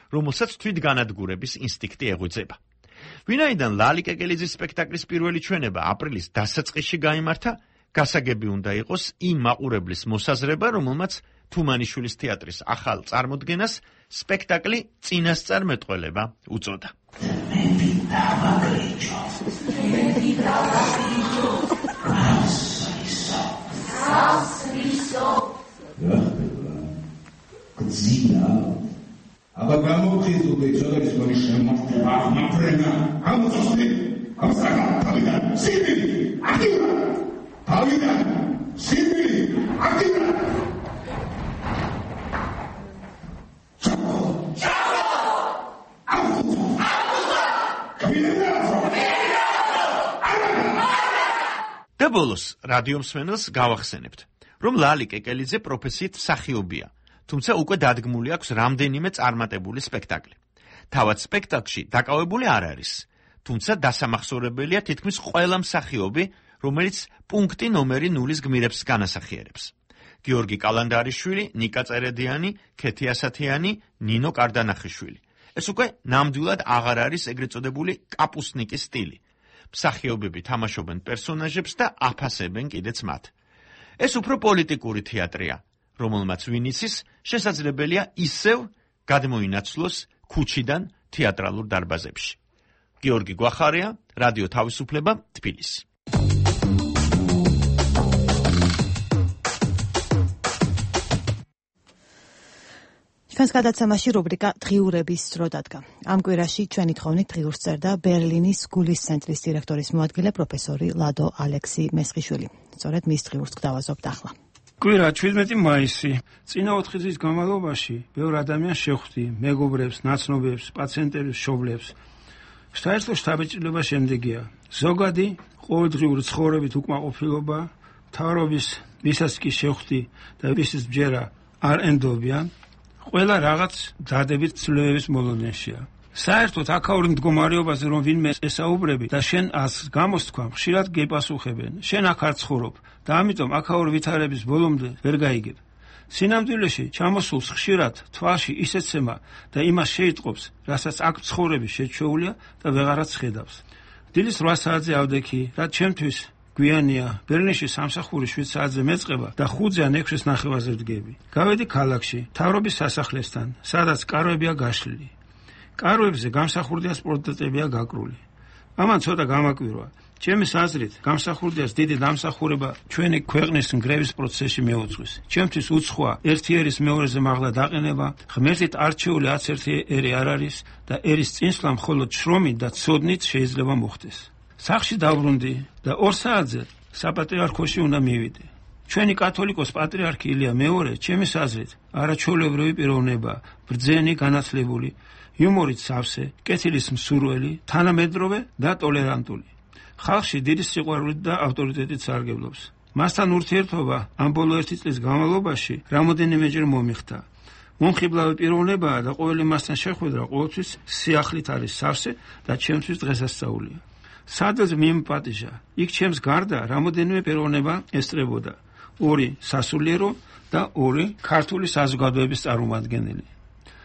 Speaker 21: რომელსაც თვითგანადგურების ინსტინქტი ეღვიძება. ვინაიდან ლალი კეკელიძის სპექტაკლის პირველი ჩვენება აპრილის დასაწყისში გაიმართა, გასაგები უნდა იყოს იმ მაყურებლის მოსაზრება, რომელმაც თუმანიშვილის თეატრის ახალ წარმოდგენას სპექტაკლი წინასწარმეტყველება უწოდა.
Speaker 3: აბა გამოვხიზდები ცოტა ის მოიშემართება აღმაფრენა ამოწესდი
Speaker 21: და ბოლოს რადიომსმენელს გავახსენებთ, რომ ლალი კეკელიძე პროფესიით მსახიობია, თუმცა უკვე დადგმული აქვს რამდენიმე წარმატებული სპექტაკლი. თავად სპექტაკლში დაკავებული არ არის, თუმცა დასამახსოვრებელია თითქმის ყველა მსახიობი, რომელიც პუნქტი ნომერი 0-ის გმირებს განასახიერებს. გიორგი კალანდარიშვილი, ნიკა წერედიანი, ქეთი ასათიანი, ნინო კარდანახიშვილი. ეს უკვე ნამდვილად აღარ არის ეგრეთ წოდებული კაპუსნიკის სტილი. მსახიობები თამაშობენ პერსონაჟებს და აფასებენ კიდეც მათ. ეს უფრო პოლიტიკური თეატრია, რომელმაც ვინ იცის, შესაძლებელია ისევ გადმოინაცვლოს ქუჩიდან თეატრალურ დარბაზებში. გიორგი გვახარია, რადიო თავისუფლება, თბილისი.
Speaker 1: ჩვენს გადაცემაში რუბრიკა დღიურების დრო დადგა. ამ კვირაში ჩვენი თხოვნით დღიურს წერდა ბერლინის გულის ცენტრის დირექტორის მოადგილე პროფესორი ლადო ალექსი მესხიშვილი. სწორედ მის დღიურს გვთავაზობთ ახლა.
Speaker 6: კვირა 17 მაისი. წინა 4 წლის განმავლობაში ბევრ ადამიანს შეხვდი, მეგობრებს, ნაცნობებს, პაციენტებს, მშობლებს. საერთო შთაბეჭდილება შემდეგია: ზოგადი ყოველდღიური ცხოვრებით უკმაყოფილება, მთავრობის ვისაც კი შეხვდი და ვისის ბჯერა არ ენდობიან, ყველა რაღაც დადებით ცვლილებების მოლოდინშია. საერთოდ აქაური მდგომარეობაზე რომ ვინმე ესაუბრები და შენ ას გამოსთქვა, ხშირად გეპასუხებენ. შენ აქ არ ცხოვრობ და ამიტომ აქაური ვითარების ბოლომდე ვერ გაიგებ. სინამდვილეში ჩამოსულს ხშირად თვალში ისეცემა და იმას შეიტყობს, რასაც აქ ცხოვრები შეჩვეულია და ვეღარაც ხედავს. დილის 8 საათზე ავდექი, რაც ჩემთვის გვიანია, ბერლინში სამსახური 7 საათზე მეწყება და 5-ზე ან 6-ის ნახევარზე ვდგები. გავედი ქალაქში, მთავრობის სასახლესთან, სადაც კარვებია გაშლილი. კარვებზე გამსახურდია სპორტეტებია გაკრული. ამან ცოტა გამაკვირვა. ჩემის აზრით, გამსახურდიას დიდი დამსახურება ჩვენი ქვეყნის ნგრევის პროცესში მეუძღვის. ჩემთვის უცხოა ერთი ერის მეორეზე მაღლა დაყენება, ღმერთით არჩეული 11 ერი არ არის და ერის წინსვლა მხოლოდ შრომით და ცოდნით შეიძლება მოხდეს. სახში დავრუნდი და 2 საათზე საპატრიარქოში უნდა მივიდე. ჩვენი კათოლიკოს პატრიარქი ილია მეორე, ჩემის აზრით, არაჩვეულებრივი პიროვნება, ბრძენი, განათლებული, იუმორით სავსე, კეთილის მსურველი, თანამედროვე და ტოლერანტული. ხალხში დიდი სიყვარულით და ავტორიტეტით სარგებლობს. მასთან ურთიერთობა ამ ბოლო 1 წლის განმავლობაში რამოდენიმეჯერ მომიხდა. მომხიბლავი პიროვნებაა და ყოველი მასთან შეხვედრა ყოველთვის სიახლით არის სავსე და ჩემთვის დღესასწაულია. სადაც მიმპატიჟა, იქ ჩემს გარდა რამოდენიმე პიროვნება ესწრებოდა. 2 სასულიერო და 2 ქართული საზოგადოების წარმომადგენელი.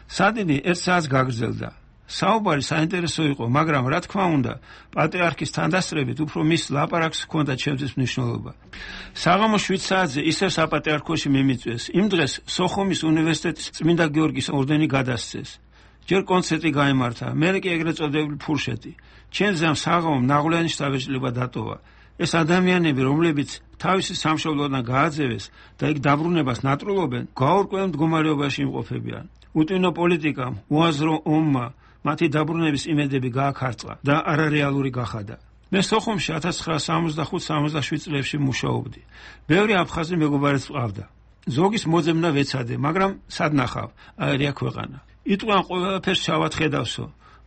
Speaker 6: სადიდი 1 საათს გაგრძელდა. საუბარი საინტერესო იყო, მაგრამ რა თქმა უნდა, პატრიარქის თანდასწრებით უფრო მის ლაპარაკს ჰქონდა ჩემთვის მნიშვნელობა. საღამო 7 საათზე ისევ საპატრიარქოში მიმიწვეს. იმ დღეს სოხუმის უნივერსიტეტის წმინდა გიორგის ორდენი გადასცეს. ჯერ კონცერტი გაიმართა, მერე კი ეგრეთ წოდებული ფურშეტი. ჩემზე ამ საღამომ ნაღვლიანი შთაბეჭდილება დატოვა. ეს ადამიანები, რომლებიც თავისი სამშობლოდან გააძევეს და იქ დაბრუნებას ნატრულობენ, გაურკვეველ მდგომარეობაში იმყოფებიან. უტვინო პოლიტიკამ, უაზრო ომმა მათი დაბრუნების იმედები გააქარწყლა და არარეალური გახადა. მე სოხუმში 1965-67 წლებში მუშაობდი. ბევრი აფხაზი მეგობარიც ვყავდა. ზოგის მოძებნა ვეცადე, მაგრამ სად ნახავ, აერია ქვეყანა. იტყვიან ყველაფერს ჩავად ხედავსო,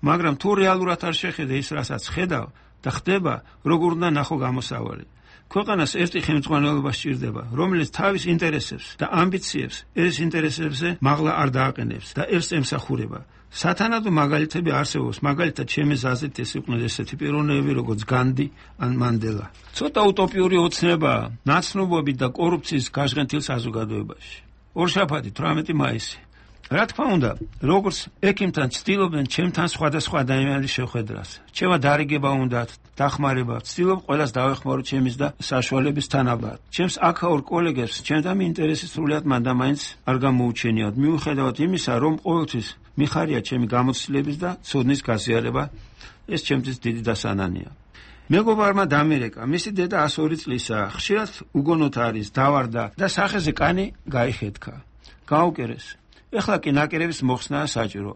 Speaker 6: მაგრამ თუ რეალურად არ შეხედე ის, რასაც ხედავ და ხდება, როგორ უნდა ნახო გამოსავალი. ქვეყანას ერთი ხელმძღვანელობა სჭირდება, რომელიც თავის ინტერესებს და ამბიციებს ერის ინტერესებზე მაღლა არ დააყენებს და ერს ემსახურება. სათანადო მაგალითები არსებობს, მაგალითად ჩემი აზრით ეს იყვნენ ესეთი პიროვნებები, როგორც განდი ან მანდელა. ცოტა უტოპიური ოცნებაა ნაცნობობით და კორუფციის გაჟღენთილ საზოგადოებაში. ორშაბათი 18 მაისი. რა თქმა უნდა, როგორც ექიმთან ცდილობენ ჩემთან სხვადასხვა ადამიანის შეხვედრას. ჩემმა დარიგება უნდათ, დახმარება, ცდილობ ყველას დავეხმარო ჩემის და საშუალების თანაბარ. ჩემს აქაურ კოლეგებს ჩემთან ინტერესი სრულად მანდამაინც არ გამოუჩენიათ, მიუხედავად იმისა, რომ ყოველთვის მიხარია ჩემი გამოცდილების და ცოდნის გაზიარება, ეს ჩემთვის დიდი დასანანია. მეგობარმა დამირეკა, მისი დედა 102 წლისაა, ხშირად უგონოთ არის, დავარდა და სახეზე კანი გაიხეთქა. გაუკერეს. ეხლა კი ნაკერების მოხსნაა საჭირო.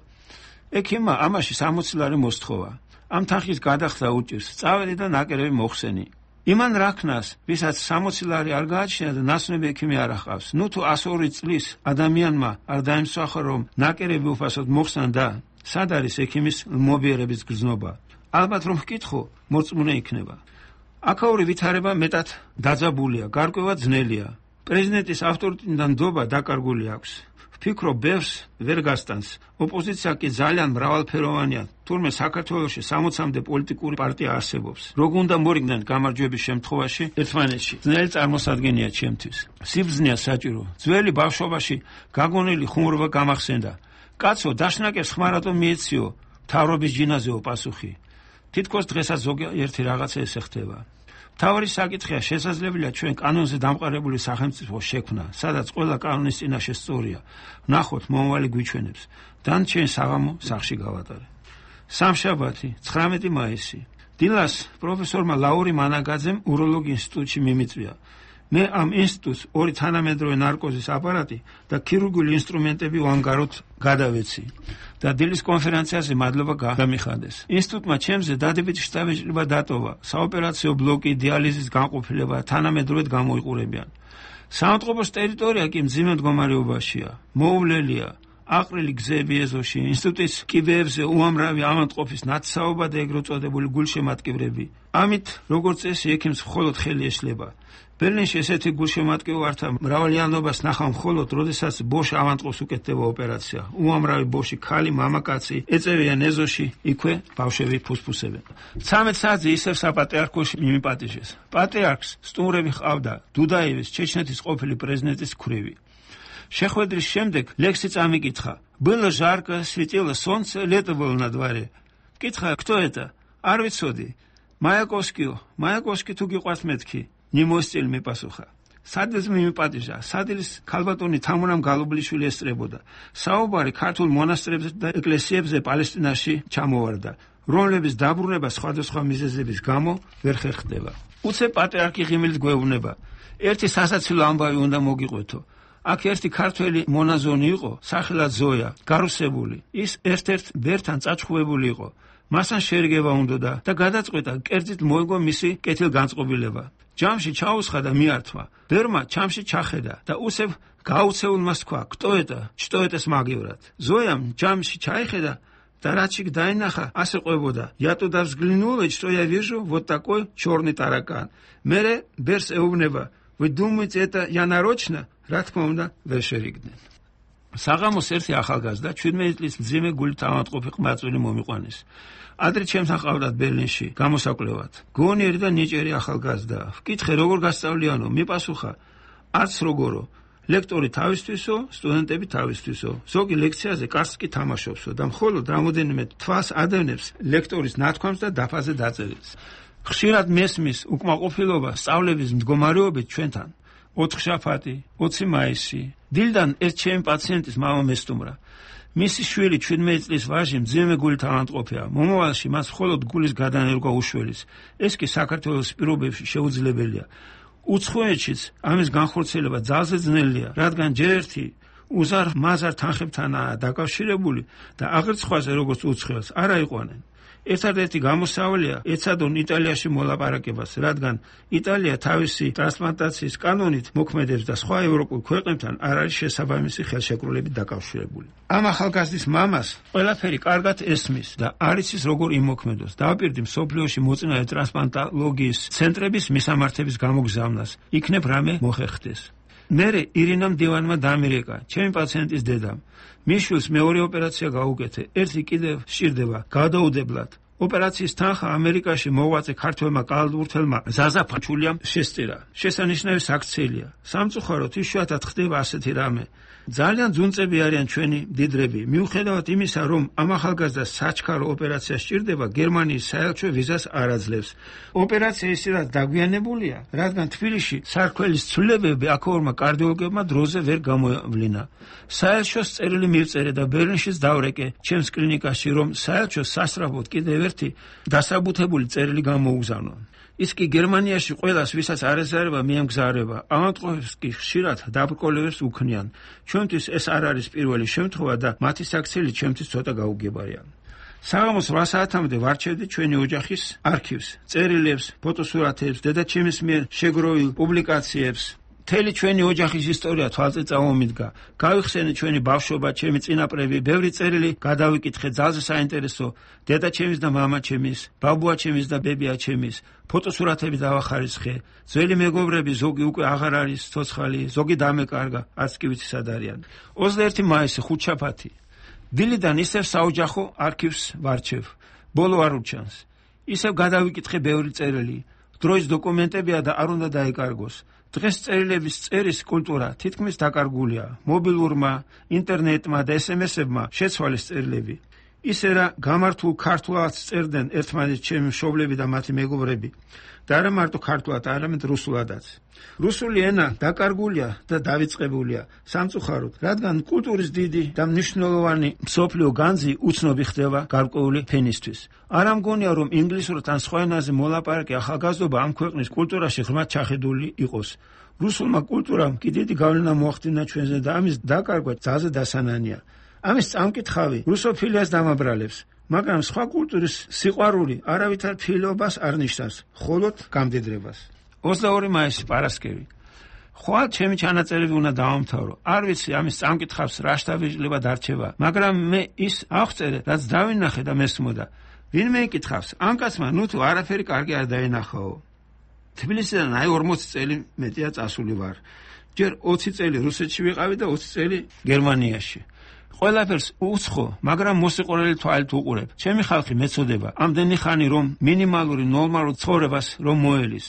Speaker 6: ექიმმა ამაში 60 ლარი მოსთხოვა. ამ თანხის გადახდა უჭირს. წავედი და ნაკერები მოხსენი. იმან რაქნას, ვისაც 60 ლარი არ გააჩნია და ნაცნობი ექიმი არ ახავს. ნუ თუ 102 წლის ადამიანმა არ დაიმსახურა, რომ ნაკერები უფასოდ მოხსნა და სად არის ექიმის მობიერების გრძნობა? ალბათ რომ ვკითხო, მორწმუნე იქნება. აქაური ვითარება მეტად დაძაბულია, გარკვევა ძნელია. პრეზიდენტის ავტორიტეტიდან ნდობა დაკარგული აქვს. ვფიქრობ, ბევრს ვერ გასტანს. ოპოზიცია კი ძალიან მრავალფეროვანია. თურმე საქართველოში 60-მდე პოლიტიკური პარტია არსებობს. როგორ უნდა მორიგდნენ გამარჯვების შემთხვევაში ერთმანეთში? ძნელი წარმოსადგენია ჩემთვის. სიბრძნეა საჭირო. ძველი ბავშვობაში გაგონილი ხუმრობა გამახსენდა. კაცო, დაშნაკებს ხმარადო მიეციო, მთავრობის ჯინაზეო პასუხი. თითქოს დღესაც ზოგიერთი რაღაცა ესე ხდება. მთავარი საკითხია, შესაძლებელია ჩვენ კანონზე დამყარებული სახელმწიფო შექმნა, სადაც ყველა კანონის წინაშე სწორია. ვნახოთ, მომავალი გვიჩვენებს. დანარჩენი საღამო სახლში გავატარე. სამშაბათი, 19 მაისი. დილას პროფესორმა ლაური მანაგაძემ უროლოგი ინსტიტუტში მიმიწვია. მე ამ ინსტიტუტს 2 თანამედროვე ნარკოზის აპარატი და ქირურგიული ინსტრუმენტები ვანგაროთ გადავეცი და დილის კონფერენციაზე მადლობა გამიხადეს. ინსტიტუტმა ჩემზე დადებითი შტაბ-ეჭრება დატოვა. საოპერაციო ბლოკი, დიალიზის განყოფილება თანამედროვედ გამოიყურებიან. საავადმყოფოს ტერიტორია კი მძიმე მდგომარეობაშია. მოუვლელია. აყრილი გზები ეზოში, ინსტიტუტის კიბეებზე უამრავი ავადმყოფის ნათესაობა და ეგრეთ წოდებული გულშემატკივრები. ამით, როგორც წესი, ექიმს მხოლოდ ხელი ეშლება. ბერლინში ესეთი გულშემატკივართა მრავალიანობას ნახავ მხოლოდ, როდესაც ბოში ავადმყოფს უკეთდება ოპერაცია. უამრავი ბოში ქალი, მამაკაცი ეწევიან ეზოში, იქვე ბავშვები ფუსფუსებენ. 13 საათზე ისევ საპატრიარქოში მიმიპატიჟეს. პატრიარქს სტუმრები ჰყავდა, დუდაევის, ჩეჩნეთის ყოფილი პრეზიდენტის ქვრივი. შეხვედრის შემდეგ ლექსი წამიკითხა. Было жарко, светило солнце, лето было на дворе. Кითხა, кто это? არ ვიცოდი. მაიაკოვსკი თუ გიყვართ მეთქი. ნიმოსწილი მიპასუხა. სადაც მიმიპატიჟა, სადილის ქალბატონი თამურამ გალობლიშვილი ესწრებოდა. საუბარი ქართულ მონასტრებზე და ეკლესიებზე პალესტინაში ჩამოვარდა, რომლების დაბრუნება სხვადასხვა მიზეზების გამო ვერ ხერხდება. უცებ პატრიარქი ღიმილით გვეუბნება. ერთი სასაცილო ამბავი უნდა მოგიყვეთო. აქ ერთი ქართველი მონაზონი იყო, სახელად ზოია, გარუსებული. ის ერთ-ერთ ბერთან წაჩხუბებული იყო. მასთან შერიგება უნდოდა და გადაწყვეტა კერძით მოიგო მისი კეთილგანწყობილება. ჯამში ჩაუსხა და მიართვა. ბერმა ჩამში ჩახედა და უსებ გაუცეულმა თქვა: "Кто это? Что это смагиврат?" ზოიამ ჯამში ჩაიხედა და რაც იქ დაინახა, ასე ყვებოდა: "Я туда взглянул, и что я вижу? Вот такой черный таракан." მერე ბერს ეუბნება: "Вы думаете, это я нарочно?" რა თქმა უნდა, ვერ შერიგდნენ. საღამოს ერთი ახალგაზრდა 17 წლის მძიმე გულით ავადმყოფი ყმაწვილი მომიყვანეს. ადრე ჩემთან ყავდათ ბერლინში გამოსაკვლევად. გონიერი და ნიჭიერი ახალგაზრდა. ვკითხე, როგორ გასწავლიანო? მიპასუხა: არც როგორო. ლექტორი თავისთვისო, სტუდენტები თავისთვისო. ზოგი ლექციაზე კარს კი თამაშობსო და მხოლოდ რამოდენიმე თვას ადევნებს ლექტორის ნათქვამს და დაფაზე დაწერილს. ხშირად მესმის უკმაყოფილება სწავლების მდგომარეობით ჩვენთან. 4 შაბათი, 20 მაისი. დილიდან ერთ ჩემი პაციენტის მამა მესტუმრა. მისი შვილი 17 წლის ვაჟი მძიმე გულით ავადმყოფია. მომავალში მას მხოლოდ გულის გადანერგვა უშველის. ეს კი საქართველოს პირობებში შეუძლებელია. უცხოეთშიც ამის განხორციელება ძალზე ძნელია, რადგან ჯერ ერთი უზარ-მაზარ თანხებთანაა დაკავშირებული და აღარ სხვაზე როგორც უცხოელს არ აიყვანენ. ერთადერთი გამოსავალია ეცადონ იტალიაში მოლაპარაკებას, რადგან იტალია თავისი ტრანსპლანტაციის კანონით მოქმედებს და სხვა ევროპულ ქვეყნებთან არ არის შესაბამისი ხელშეკრულებით დაკავშირებული. ამ ახალგაზრდის მამას ყველაფერი კარგად ესმის და არ იცის როგორ იმოქმედოს. დააპირდი მსოფლიოში მოწინავე ტრანსპლანტოლოგიის ცენტრების მისამართების გამოგზავნას. იქნებ რამე მოხერხდეს. მერე ირინამ დივანმა დამირეკა, ჩემი პაციენტის დედამ. მის შვილს მეორე ოპერაცია გაუკეთე. ერთი კიდევ სჭირდება გადაუდებლად. ოპერაციის თანხა ამერიკაში მოღვაწე ქართველმა კალათბურთელმა ზაზა ფაჩულიამ შესწირა. შესანიშნავი საქციელია. სამწუხაროდ იშვიათად ხდება ასეთი რამე. ძალიან ძუნწები არიან ჩვენი მდიდრები. მიუხედავად იმისა, რომ ამ ახალგაზრდას საჩქარო ოპერაცია სჭირდება, გერმანიის საელჩო ვიზას არ აძლევს. ოპერაცია ისედაც დაგვიანებულია, რადგან თბილისში სარქველის ცვლილებები აქაურმა კარდიოლოგებმა დროზე ვერ გამოავლინა. საელჩოს წერილი მივწერე და ბერლინშიც დავრეკე ჩემს კლინიკაში, რომ საელჩოს სასწრაფოდ კიდევ ერთი დასაბუთებული წერილი გამოუგზავნო. ის კი გერმანიაში ყველას, ვისაც არ ეზარება, მიემგზავრება. ავადმყოფებს კი ხშირად დაბრკოლებებს უქნიან. ჩვენთვის ეს არ არის პირველი შემთხვევა და მათი საქციელი ჩვენთვის ცოტა გაუგებარია. საღამოს 8 საათამდე ვარჩევდი ჩვენი ოჯახის არქივს, წერილებს, ფოტოსურათებს, დედაჩემის მიერ შეგროვილ პუბლიკაციებს. მთელი ჩვენი ოჯახის ისტორია თვალწინ წამომიდგა. გავიხსენე ჩვენი ბავშვობა, ჩემი წინაპრები, ბევრი წერილი გადავიკითხე, ძალზე საინტერესო, დედაჩემის და მამაჩემის, ბაბუაჩემის და ბებიაჩემის, ფოტოსურათები დავახარისხე. ძველი მეგობრები ზოგი უკვე აღარ არის ცოცხალი, ზოგი დამეკარგა, არც კი ვიცი სად არიან. 21 მაისი ხუთშაბათი. დილიდან ისევ საოჯახო არქივს ვარჩევ. ბოლო არ უჩანს. ისევ გადავიკითხე ბევრი წერილი. დროის დოკუმენტებია და არ უნდა დაეკარგოს. დღეს წერილების წერის კულტურა თითქმის დაკარგულია. მობილურმა, ინტერნეტმა და SMS-ებმა შეცვალეს წერილები. ისე რა გამართულ ქართულად წერდნენ ერთმანეთს ჩემი მშობლები და მათი მეგობრები. და არა მარტო ქართულად, არამედ რუსულადაც. რუსული ენა დაკარგულია და დავიწყებულია სამწუხაროდ, რადგან კულტურის დიდი და მნიშვნელოვანი მსოფლიო განძი უცნობი ხდება გარკვეული ფენისთვის. არა მგონია, რომ ინგლისურად ან სხვა ენაზე მოლაპარაკე ახალგაზრდობა ამ ქვეყნის კულტურაში ღრმად ჩახედული იყოს. რუსულმა კულტურამ კი დიდი გავლენა მოახდინა ჩვენზე და ამის დაკარგვა ძალზე დასანანია. ამის წამკითხავი რუსოფილიას დამაბრალებს. მაგრამ სხვა კულტურის სიყვარული არავითარ ფილობას არ ნიშნავს, მხოლოდ გამდიდრებას. 22 მაისი პარასკევი. ხვალ ჩემი ჩანაწერები უნდა დავამთავრო. არ ვიცი ამის წამკითხავს რა შტაბიჭლება დარჩება, მაგრამ მე ის აღწერე, რაც დავინახე და მესმოდა. ვინმე იკითხავს, ამ კაცმა ნუ თუ არაფერი კარგი არ დაენახაო. თბილისიდან 40 წელი მეტია წასული ვარ. ჯერ 20 წელი რუსეთში ვიყავი და 20 წელი გერმანიაში. ყველაფერს უცხო, მაგრამ მოსიყვარული თვალით უყურებ. ჩემი ხალხი მეწოდება ამდენი ხანი რომ მინიმალური ნორმალურ ცხოვრებას რომ მოელის.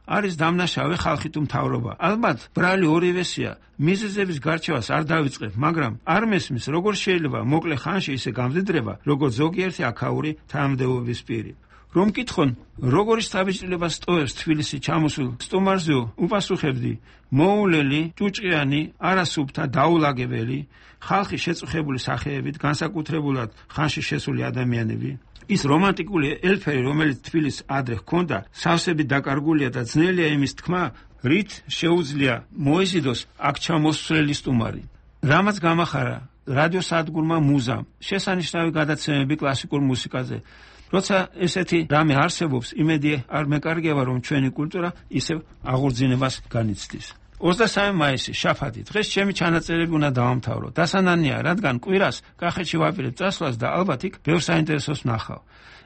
Speaker 6: არის დამნაშავე ხალხი თუ მთავრობა. ალბათ ბრალი ორივესია. მიზეზების გარჩევას არ დავიწყებ, მაგრამ არ მესმის როგორ შეიძლება მოკლე ხანში ისე გამდიდრება, როგორც ზოგიერთი აქაური თანამდებობის პირი. რომ მკითხონ, როგორი შთაბეჭდილება სტოვებს თბილისი ჩამოსულ სტუმარზეო, უპასუხებდი, მოულელი, ჭუჭყიანი, არასუფთა, დაულაგებელი, ხალხი შეწუხებული სახეებით, განსაკუთრებულად ხანში შესული ადამიანები. ის რომანტიკული ელფერი, რომელიც თბილისს ადრე ჰქონდა, სავსებით დაკარგულია და ძნელია იმის თქმა, რით შეუძლია მოეზიდოს აქ ჩამოსვლელი სტუმარი. რამაც გამახარა რადიოსადგურმა მუზამ, შესანიშნავი გადაცემები კლასიკურ მუსიკაზე. როცა ესეთი რამე არსებობს, იმედი არ მეკარგება, რომ ჩვენი კულტურა ისევ აღორძინებას განიცდის. 23 მაისი, შაბათი. დღეს ჩემი ჩანაწერები უნდა დავამთავრო. დასანანია, რადგან კვირას კახეთში ვაპირებ წასვლას და ალბათ იქ ბევრ საინტერესოს ვნახავ.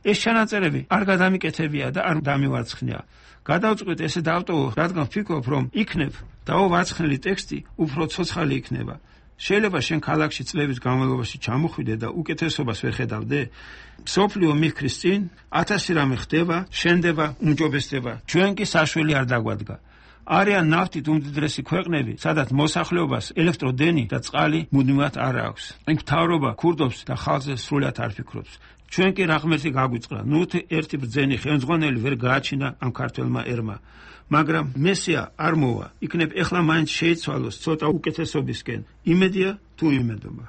Speaker 6: ეს ჩანაწერები არ გადამიკეთებია და არ დამივარცხნია. გადავწყვეტ ესე დავტოვო, რადგან ვფიქრობ, რომ იქნებ დაუვარცხნილი ტექსტი უფრო ცოცხალი იქნება. შეიძლება შენ ქალაქში წლების განმავლობაში ჩამოხვიდე და უკეთესობას ვერ ხედავდე? მსოფლიო მიქრის წინ 1000 რამე ხდება, შენდება, უმჯობესდება. ჩვენ კი საშველი არ დაგვადგა. არიან ნავთით უმდიდრესი ქვეყნები, სადაც მოსახლეობას ელექტროდენი და წყალი მუდმივად არ აქვს. იქ მთავრობა ქურდობს და ხალხზე სრულად არ ფიქრობს. ჩვენ კი რა ღმერთი გაგვიწყდა. ნუ ერთი ბრძენი ხელმძღვანელი ვერ გააჩინა ამ ქართველმა ერმა. მაგრამ მესია არ მოვა. იქნებ ეხლა მაინც შეიცვალოს ცოტა უკეთესობისკენ. იმედია თუ იმედობა.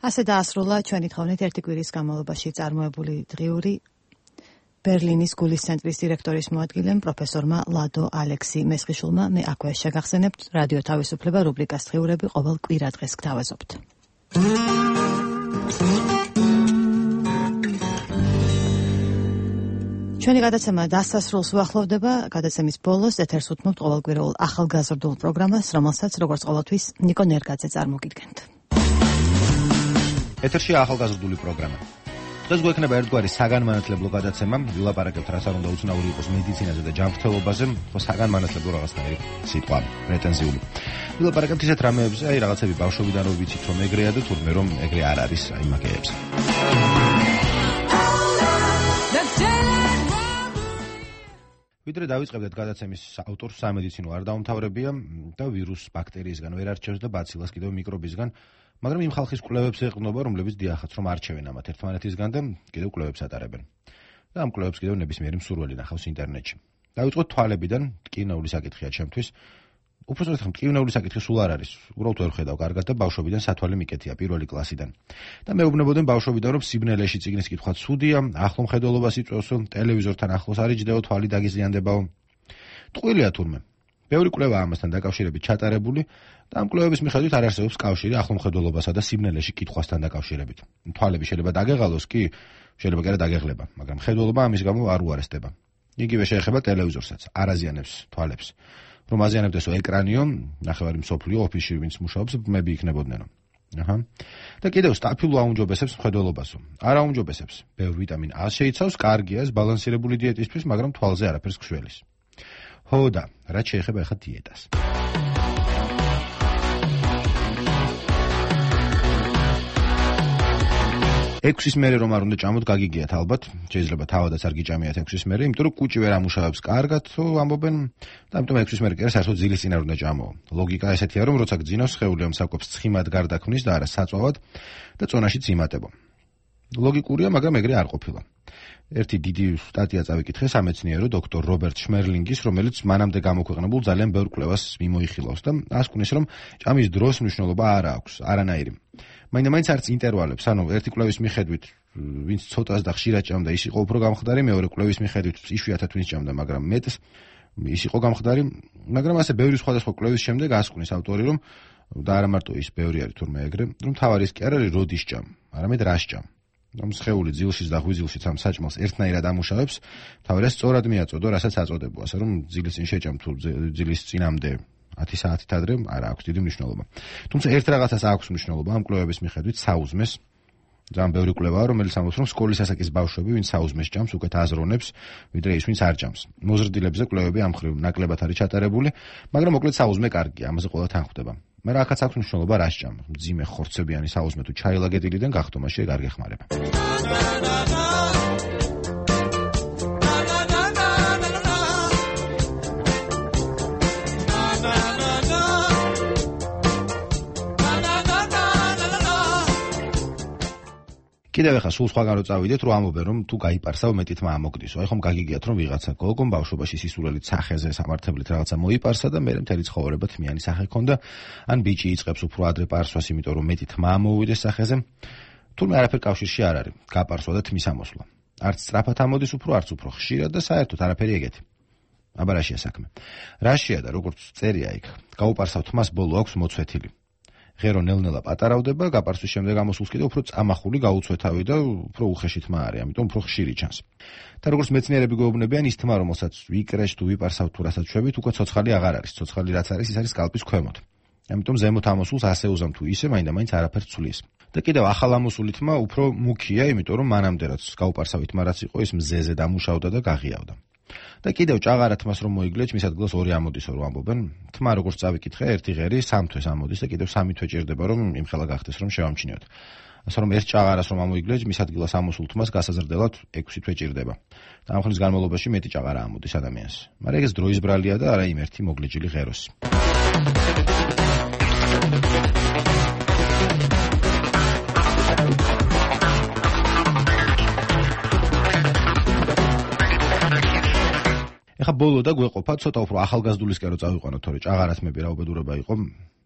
Speaker 1: ასე დაასრულა ჩვენი თხოვნით ერთი კვირის განმავლობაში წარმოებული დღიური ბერლინის გულის ცენტრის დირექტორის მოადგილემ პროფესორმა ლადო ალექსი მესხიშვილმა. მე აქვე შეგახსენებთ რადიო თავისუფლება რუბრიკას დღიურები ყოველ კვირა დღეს გთავაზობთ. ჩვენი გადაცემა დასასრულს უახლოვდება. გადაცემის ბოლოს ეთერს უთმობთ ყოველკვირეულ ახალგაზრდულ პროგრამას, რომელსაც როგორც ყოველთვის ნიკო ნერგაძე წარმოგიდგენთ.
Speaker 3: ეთერში ახალგაზრდული პროგრამა. დღეს გვექნება ერთგვარი საგანმანათლებლო გადაცემა. ვილაპარაკებთ რაც არ უნდა უცნაური იყოს მედიცინაზე და ჯანმრთელობაზე, ხო საგანმანათლებლო რაღაცნაირი სიტყვა, პრეტენზიული. ვილაპარაკებთ ისეთ რამეებზე, აი რაღაცები ბავშვობიდან რომ ვიცით რომ ეგრეა და თურმე რომ ეგრე არ არის აი მაგეებს. ვიდრე დავიწყებდეთ გადაცემის ავტორს სამედიცინო არ დაუმთავრებია და ვირუს ბაქტერიისგან ვერ არჩევს და ბაცილას კიდევ მიკრობისგან, მაგრამ იმ ხალხის კვლევებს ეყრდნობა, რომლებიც დიახაც რომ არჩევენ ამათ ერთმანეთისგან და კიდევ კვლევებს ატარებენ. და ამ კვლევებს კიდევ ნებისმიერი მსურველი ნახავს ინტერნეტში. დავიწყოთ თვალებიდან, ტკივნეული საკითხია ჩემთვის. უпростоრად ტკივნეული საკითხი სულ არ არის. უბრალოდ ვერ ხედავ კარგად და ბავშვობიდან სათვალე მიკეთია პირველი კლასიდან. და მეუბნებოდნენ ბავშვობიდან რომ სიბნელეში წიგნის კითხვა ცუდია, ახლო მხედველობას იწვევს, ტელევიზორთან ახლოს არ იჯდეო, თვალი დაგიზიანდებაო. ტყუილია თურმე. ბევრი კვლევა ამასთან დაკავშირებით ჩატარებული და ამ კვლევების მიხედვით არ არსებობს კავშირი ახლომხედველობასა და სიმნელეში კითხვასთან დაკავშირებით. თვალები შეიძლება დაგეღალოს კი, შეიძლება კი არა დაგეღლება, მაგრამ მხედველობა ამის გამო არ უარესდება. იგივე შეეხება ტელევიზორსაც, არ აზიანებს თვალებს. რომ აზიანებდესო ეკრანიო, ნახევარი მსოფლიო ოფისში ვინც მუშაობს, ბმები იქნებოდნენ. აჰა. და კიდევ სტაფილო აუნჯობესებს მხედველობასო. არ აუნჯობესებს. ბევრ ვიტამინ A შეიცავს, კარგია ეს ბალანსირებული დიეტისთვის, მაგრამ თვალზე არაფერს გშველის. ხო და რაც შეეხება ახლა დიეტას. ექვსის მერე რომ არ უნდა ჭამოთ, გაგიგიათ ალბათ, შეიძლება თავადაც არ გიჭამიათ 6-ის მერე, იმიტომ რომ კუჭი ვერ ამუშავებს კარგად, ამბობენ, და ამიტომ 6-ის მერე კი არა, საერთოდ ძილის წინ არ უნდა ჭამო. ლოგიკა ესეთია, რომ როცა გძინავს, სხეული ამ საკვებს ცხიმად გარდაქმნის და არა საწვავად და წონაშიც იმატებო. ლოგიკურია, მაგრამ ეგრე არ ყოფილა. ერთი დიდი სტატია წავიკითხე სამეცნიერო დოქტორ რობერტ შმერლინგის, რომელიც მანამდე გამოქვეყნებულ ძალიან ბევრ კვლევას მიმოიხილავს და ასკუნის, რომ ჭამის დროს მნიშვნელობა არ აქვს, არანაირი. მაინც არც ინტერვალებს, ანუ ერთი კვლევის მიხედვით, ვინც ცოტას და ხშირად ჭამდა, ის იყო უფრო გამხდარი, მეორე კვლევის მიხედვით, იშვიათად ვინც ჭამდა, მაგრამ მეტს ის იყო გამხდარი, მაგრამ ასე ბევრი სხვადასხვა კვლევის შემდეგ ასკუნის ავტორი, რომ და არა მარტო ის ბევრი არის თურმე ეგრე, რომ თავარი ის კი არ არის როდის ჭამ, არამედ რას ჭამ. რომ სხეული ძილშიც და ღვიძლშიც ამ საჭმელს ერთნაირად ამუშავებს, თავარია სწორად მიაწოდო, რასაც აწოდებო, ასე რომ ძილის წინ შეჭამ თუ ძილის წინამდე 10 საათით ადრე არ აქვს დიდი მნიშვნელობა. თუმცა ერთ რაღაცას აქვს მნიშვნელობა ამ კვლევების მიხედვით საუზმეს. ძალიან ბევრი კვლევაა, რომელიც ამბობს, რომ სკოლის ასაკის ბავშვები, ვინც საუზმეს ჭამს, უკეთ აზროვნებს, ვიდრე ის, ვინც არ ჭამს. მოზრდილებზე კვლევები ამ მხრივ ნაკლებად არის ჩატარებული, მაგრამ მოკლედ საუზმე კარგია, ამაზე ყველა თან ხვდება. მაგრამ აქაც აქვს მნიშვნელობა რას ჭამ. მძიმე ხორცებიანი საუზმე თუ ჩაილაგედილიდან გახტომაში ეგ არ გეხმარება. კიდევ ახლა სულ სხვაგან რო წავიდეთ, რომ ამობენ, რომ თუ გაიპარსავ მეტი თმა ამოგდისო. აი ხომ გაგიგიათ, რომ ვიღაცა გოგომ ბავშვობაში სისულელით სახეზე სამართლებით რაღაცა მოიპარსა და მერე მთელი ცხოვრება თმიანი სახე ჰქონდა, ან ბიჭი იწყებს უფრო ადრე პარსვას, იმიტომ რომ მეტი თმა ამოუვიდეს სახეზე. თუმცა არაფერ კავშირში არ არის გაპარსვა და თმის ამოსვლა. არც სწრაფად ამოდის უფრო, არც უფრო ხშირად და საერთოდ არაფერი ეგეთი. აბა რაშია საქმე? რაშია და როგორც წერია იქ, გაუპარსავ თმას ბოლო აქვს მოცვეთილი. ღერო ნელ-ნელა პატარავდება, გაპარსვის შემდეგ ამოსულს კიდევ უფრო წამახული გაუცვეთავი და უფრო უხეში თმა არის, ამიტომ უფრო ხშირი ჩანს. და როგორც მეცნიერები გვეუბნებიან, ის თმა, რომელსაც ვიკრეშ თუ ვიპარსავ თუ რასაც შვებით, უკვე ცოცხალი აღარ არის. ცოცხალი რაც არის, ის არის სკალპის ქვემოთ. ამიტომ ზემოთ ამოსულს ასე უზამ თუ ისე, მაინდა-მაინც არაფერს ცulis. და კიდევ ახალ ამოსული თმა უფრო მუქია, იმიტომ რომ მანამდე რაც გაუპარსავი თმა რაც იყო, ის მზეზე დამუშავდა და გაღიავდა. და კიდევ ჭაღარა თმას რომ მოიგლეჭ, მის ადგილას ორი ამოდისო რომ ამბობენ. თმა როგორც წავიკითხე, ერთი ღერი 3 თვეს ამოდის და კიდევ 3 თვე ჭირდება რომ იმხელა გახდეს რომ შევამჩნიოთ. ასე რომ ერთ ჭაღარას რომ ამოიგლეჭ, მის ადგილას ამოსულ თმას გასაზრდელად 6 თვე ჭირდება. და ამ ხნის განმავლობაში მეტი ჭაღარა ამოდის ადამიანს. მაგრამ ეს დროის ბრალია და არა იმ ერთი მოგლეჭილი ღეროს. ეხა ბოლო და გვეყოფა ცოტა უფრო ახალგაზრდულისკენ რო წავიყვანოთ, თორე ჭაღარათმები რა უბედურება იყო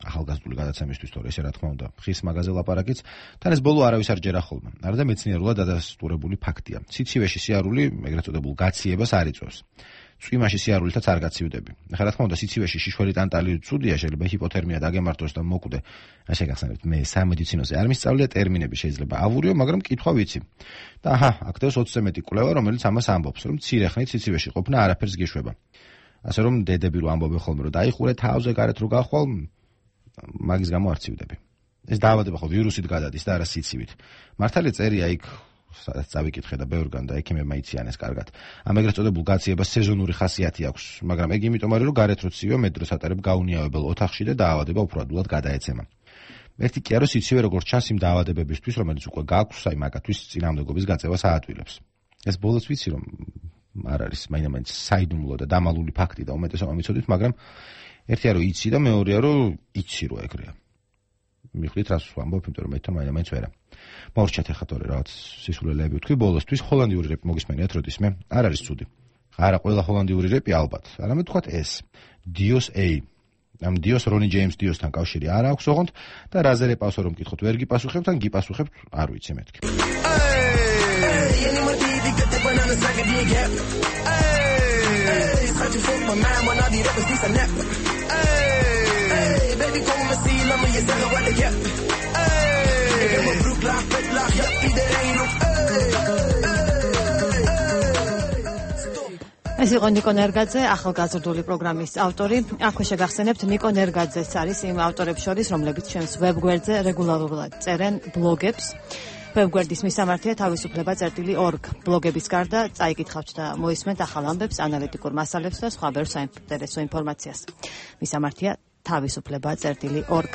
Speaker 3: ახალგაზრდული გადაცემისთვის, თორე ესე რა თქმა უნდა, ხის მაგაზე ლაპარაკიც, თან ეს ბოლო არავის არ ჯერა ხოლმე. არადა მეცნიერულად დადასტურებული ფაქტია. სიცივეში სიარული, ეგრეთ წოდებულ გაციებას არ იწვევს. წვიმაში სიარულითაც არ გაცივდები. ეხლა რა თქმა უნდა, სიცივეში შიშველი ტანტალი ცუდია, შეიძლება ჰიპოთერმია დაგემართოს და მოკვდე. ასე გახსენებთ, მე სამედიცინოზე არ მისწავლია ტერმინები, შეიძლება ავურიო, მაგრამ კითხვა ვიცი. და აჰა, აქ 20-ზე მეტი კვლევა, რომელიც ამას ამბობს, რომ მცირე ხნით სიცივეში ყოფნა არაფერს გიშვება. ასე რომ დედები რო ამბობენ ხოლმე, რომ დაიხურე თავზე გარეთ რო გახვალ, მაგის გამო არ ცივდები. ეს დაავადება ხო ვირუსით გადადის და არა სიცივით. მართალია წერია იქ სადაც წავიკითხე და ბევრგან და ექიმებმა იციან ეს კარგად. ამ ეგრეთ წოდებულ გაციებას სეზონური ხასიათი აქვს, მაგრამ ეგ იმიტომ არის, რომ გარეთ რო ცივია, მეტ დროს ატარებ გაუნიავებელ ოთახში და დაავადება უფრო ადვილად გადაეცემა. ერთი კი არის სიცივე როგორც ჩანს იმ დაავადებებისთვის, რომელიც უკვე გაქვს, აი მაგათვის წინამდებობის გაწევას აადვილებს. ეს ბოლოს ვიცი რომ არ არის მაინდა-მაინც საიდუმლო და დამალული ფაქტი და უმეტესობა მიცოდით, მაგრამ ერთია რომ იცი და მეორეა რომ იცი რომ ეგრეა. მიხვდით რას ვამბობ, იმიტომ რომ მე თან მაინდა-მაინც ვერა. მორჩათ ახლა თორე რაღაც სისულელეები ვთქვი ბოლოსთვის ჰოლანდიური რეპი მოგისმენიათ როდისმე არ არის ცუდი. არა ყველა ჰოლანდიური რეპი ალბათ, არამედ თქვათ ეს Dios A. ამ Dios რონი ჯეიმს Dios-თან კავშირი არ აქვს ოღონდ და რაზე რეპავსო რომ გითხოთ ვერ გიპასუხებთ ან გიპასუხებთ არ ვიცი მეთქი.
Speaker 8: my mind when all these rappers be so nap. Hey, baby, kom me zien, laat me je zeggen wat ik heb. Hey, ik heb mijn broek laag, vet laag, ja, iedereen op.
Speaker 1: ეს იყო ნიკო ნერგაძე, ახალგაზრდული პროგრამის ავტორი. აქვე შეგახსენებთ, ნიკო ნერგაძეც არის იმ ავტორებს შორის, რომლებიც ჩვენს ვებგვერდზე რეგულარულად წერენ ბლოგებს. ვებგვერდის მისამართია თავისუფლება.org. ბლოგების გარდა წაიკითხავთ და მოისმენთ ახალ ამბებს, ანალიტიკურ მასალებს და სხვა ბევრ საინტერესო ინფორმაციას. მისამართია თავისუფლება.org.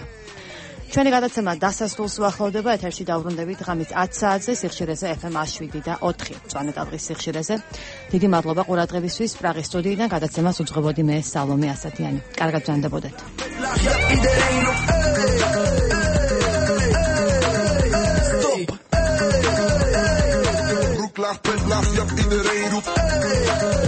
Speaker 1: ჩვენი გადაცემა დასასრულს უახლოვდება, ეთერში დავრუნდებით ღამის 10 საათზე სიხშირეზე FM 7 და 4 წვანეტადღის სიხშირეზე. დიდი მადლობა ყურადღებისთვის. პრაღის სტუდიიდან გადაცემას უძღვებოდი მე სალომე ასათიანი. კარგად ბრძანდებოდეთ.
Speaker 8: Laag, pet laag, ja, iedereen roept.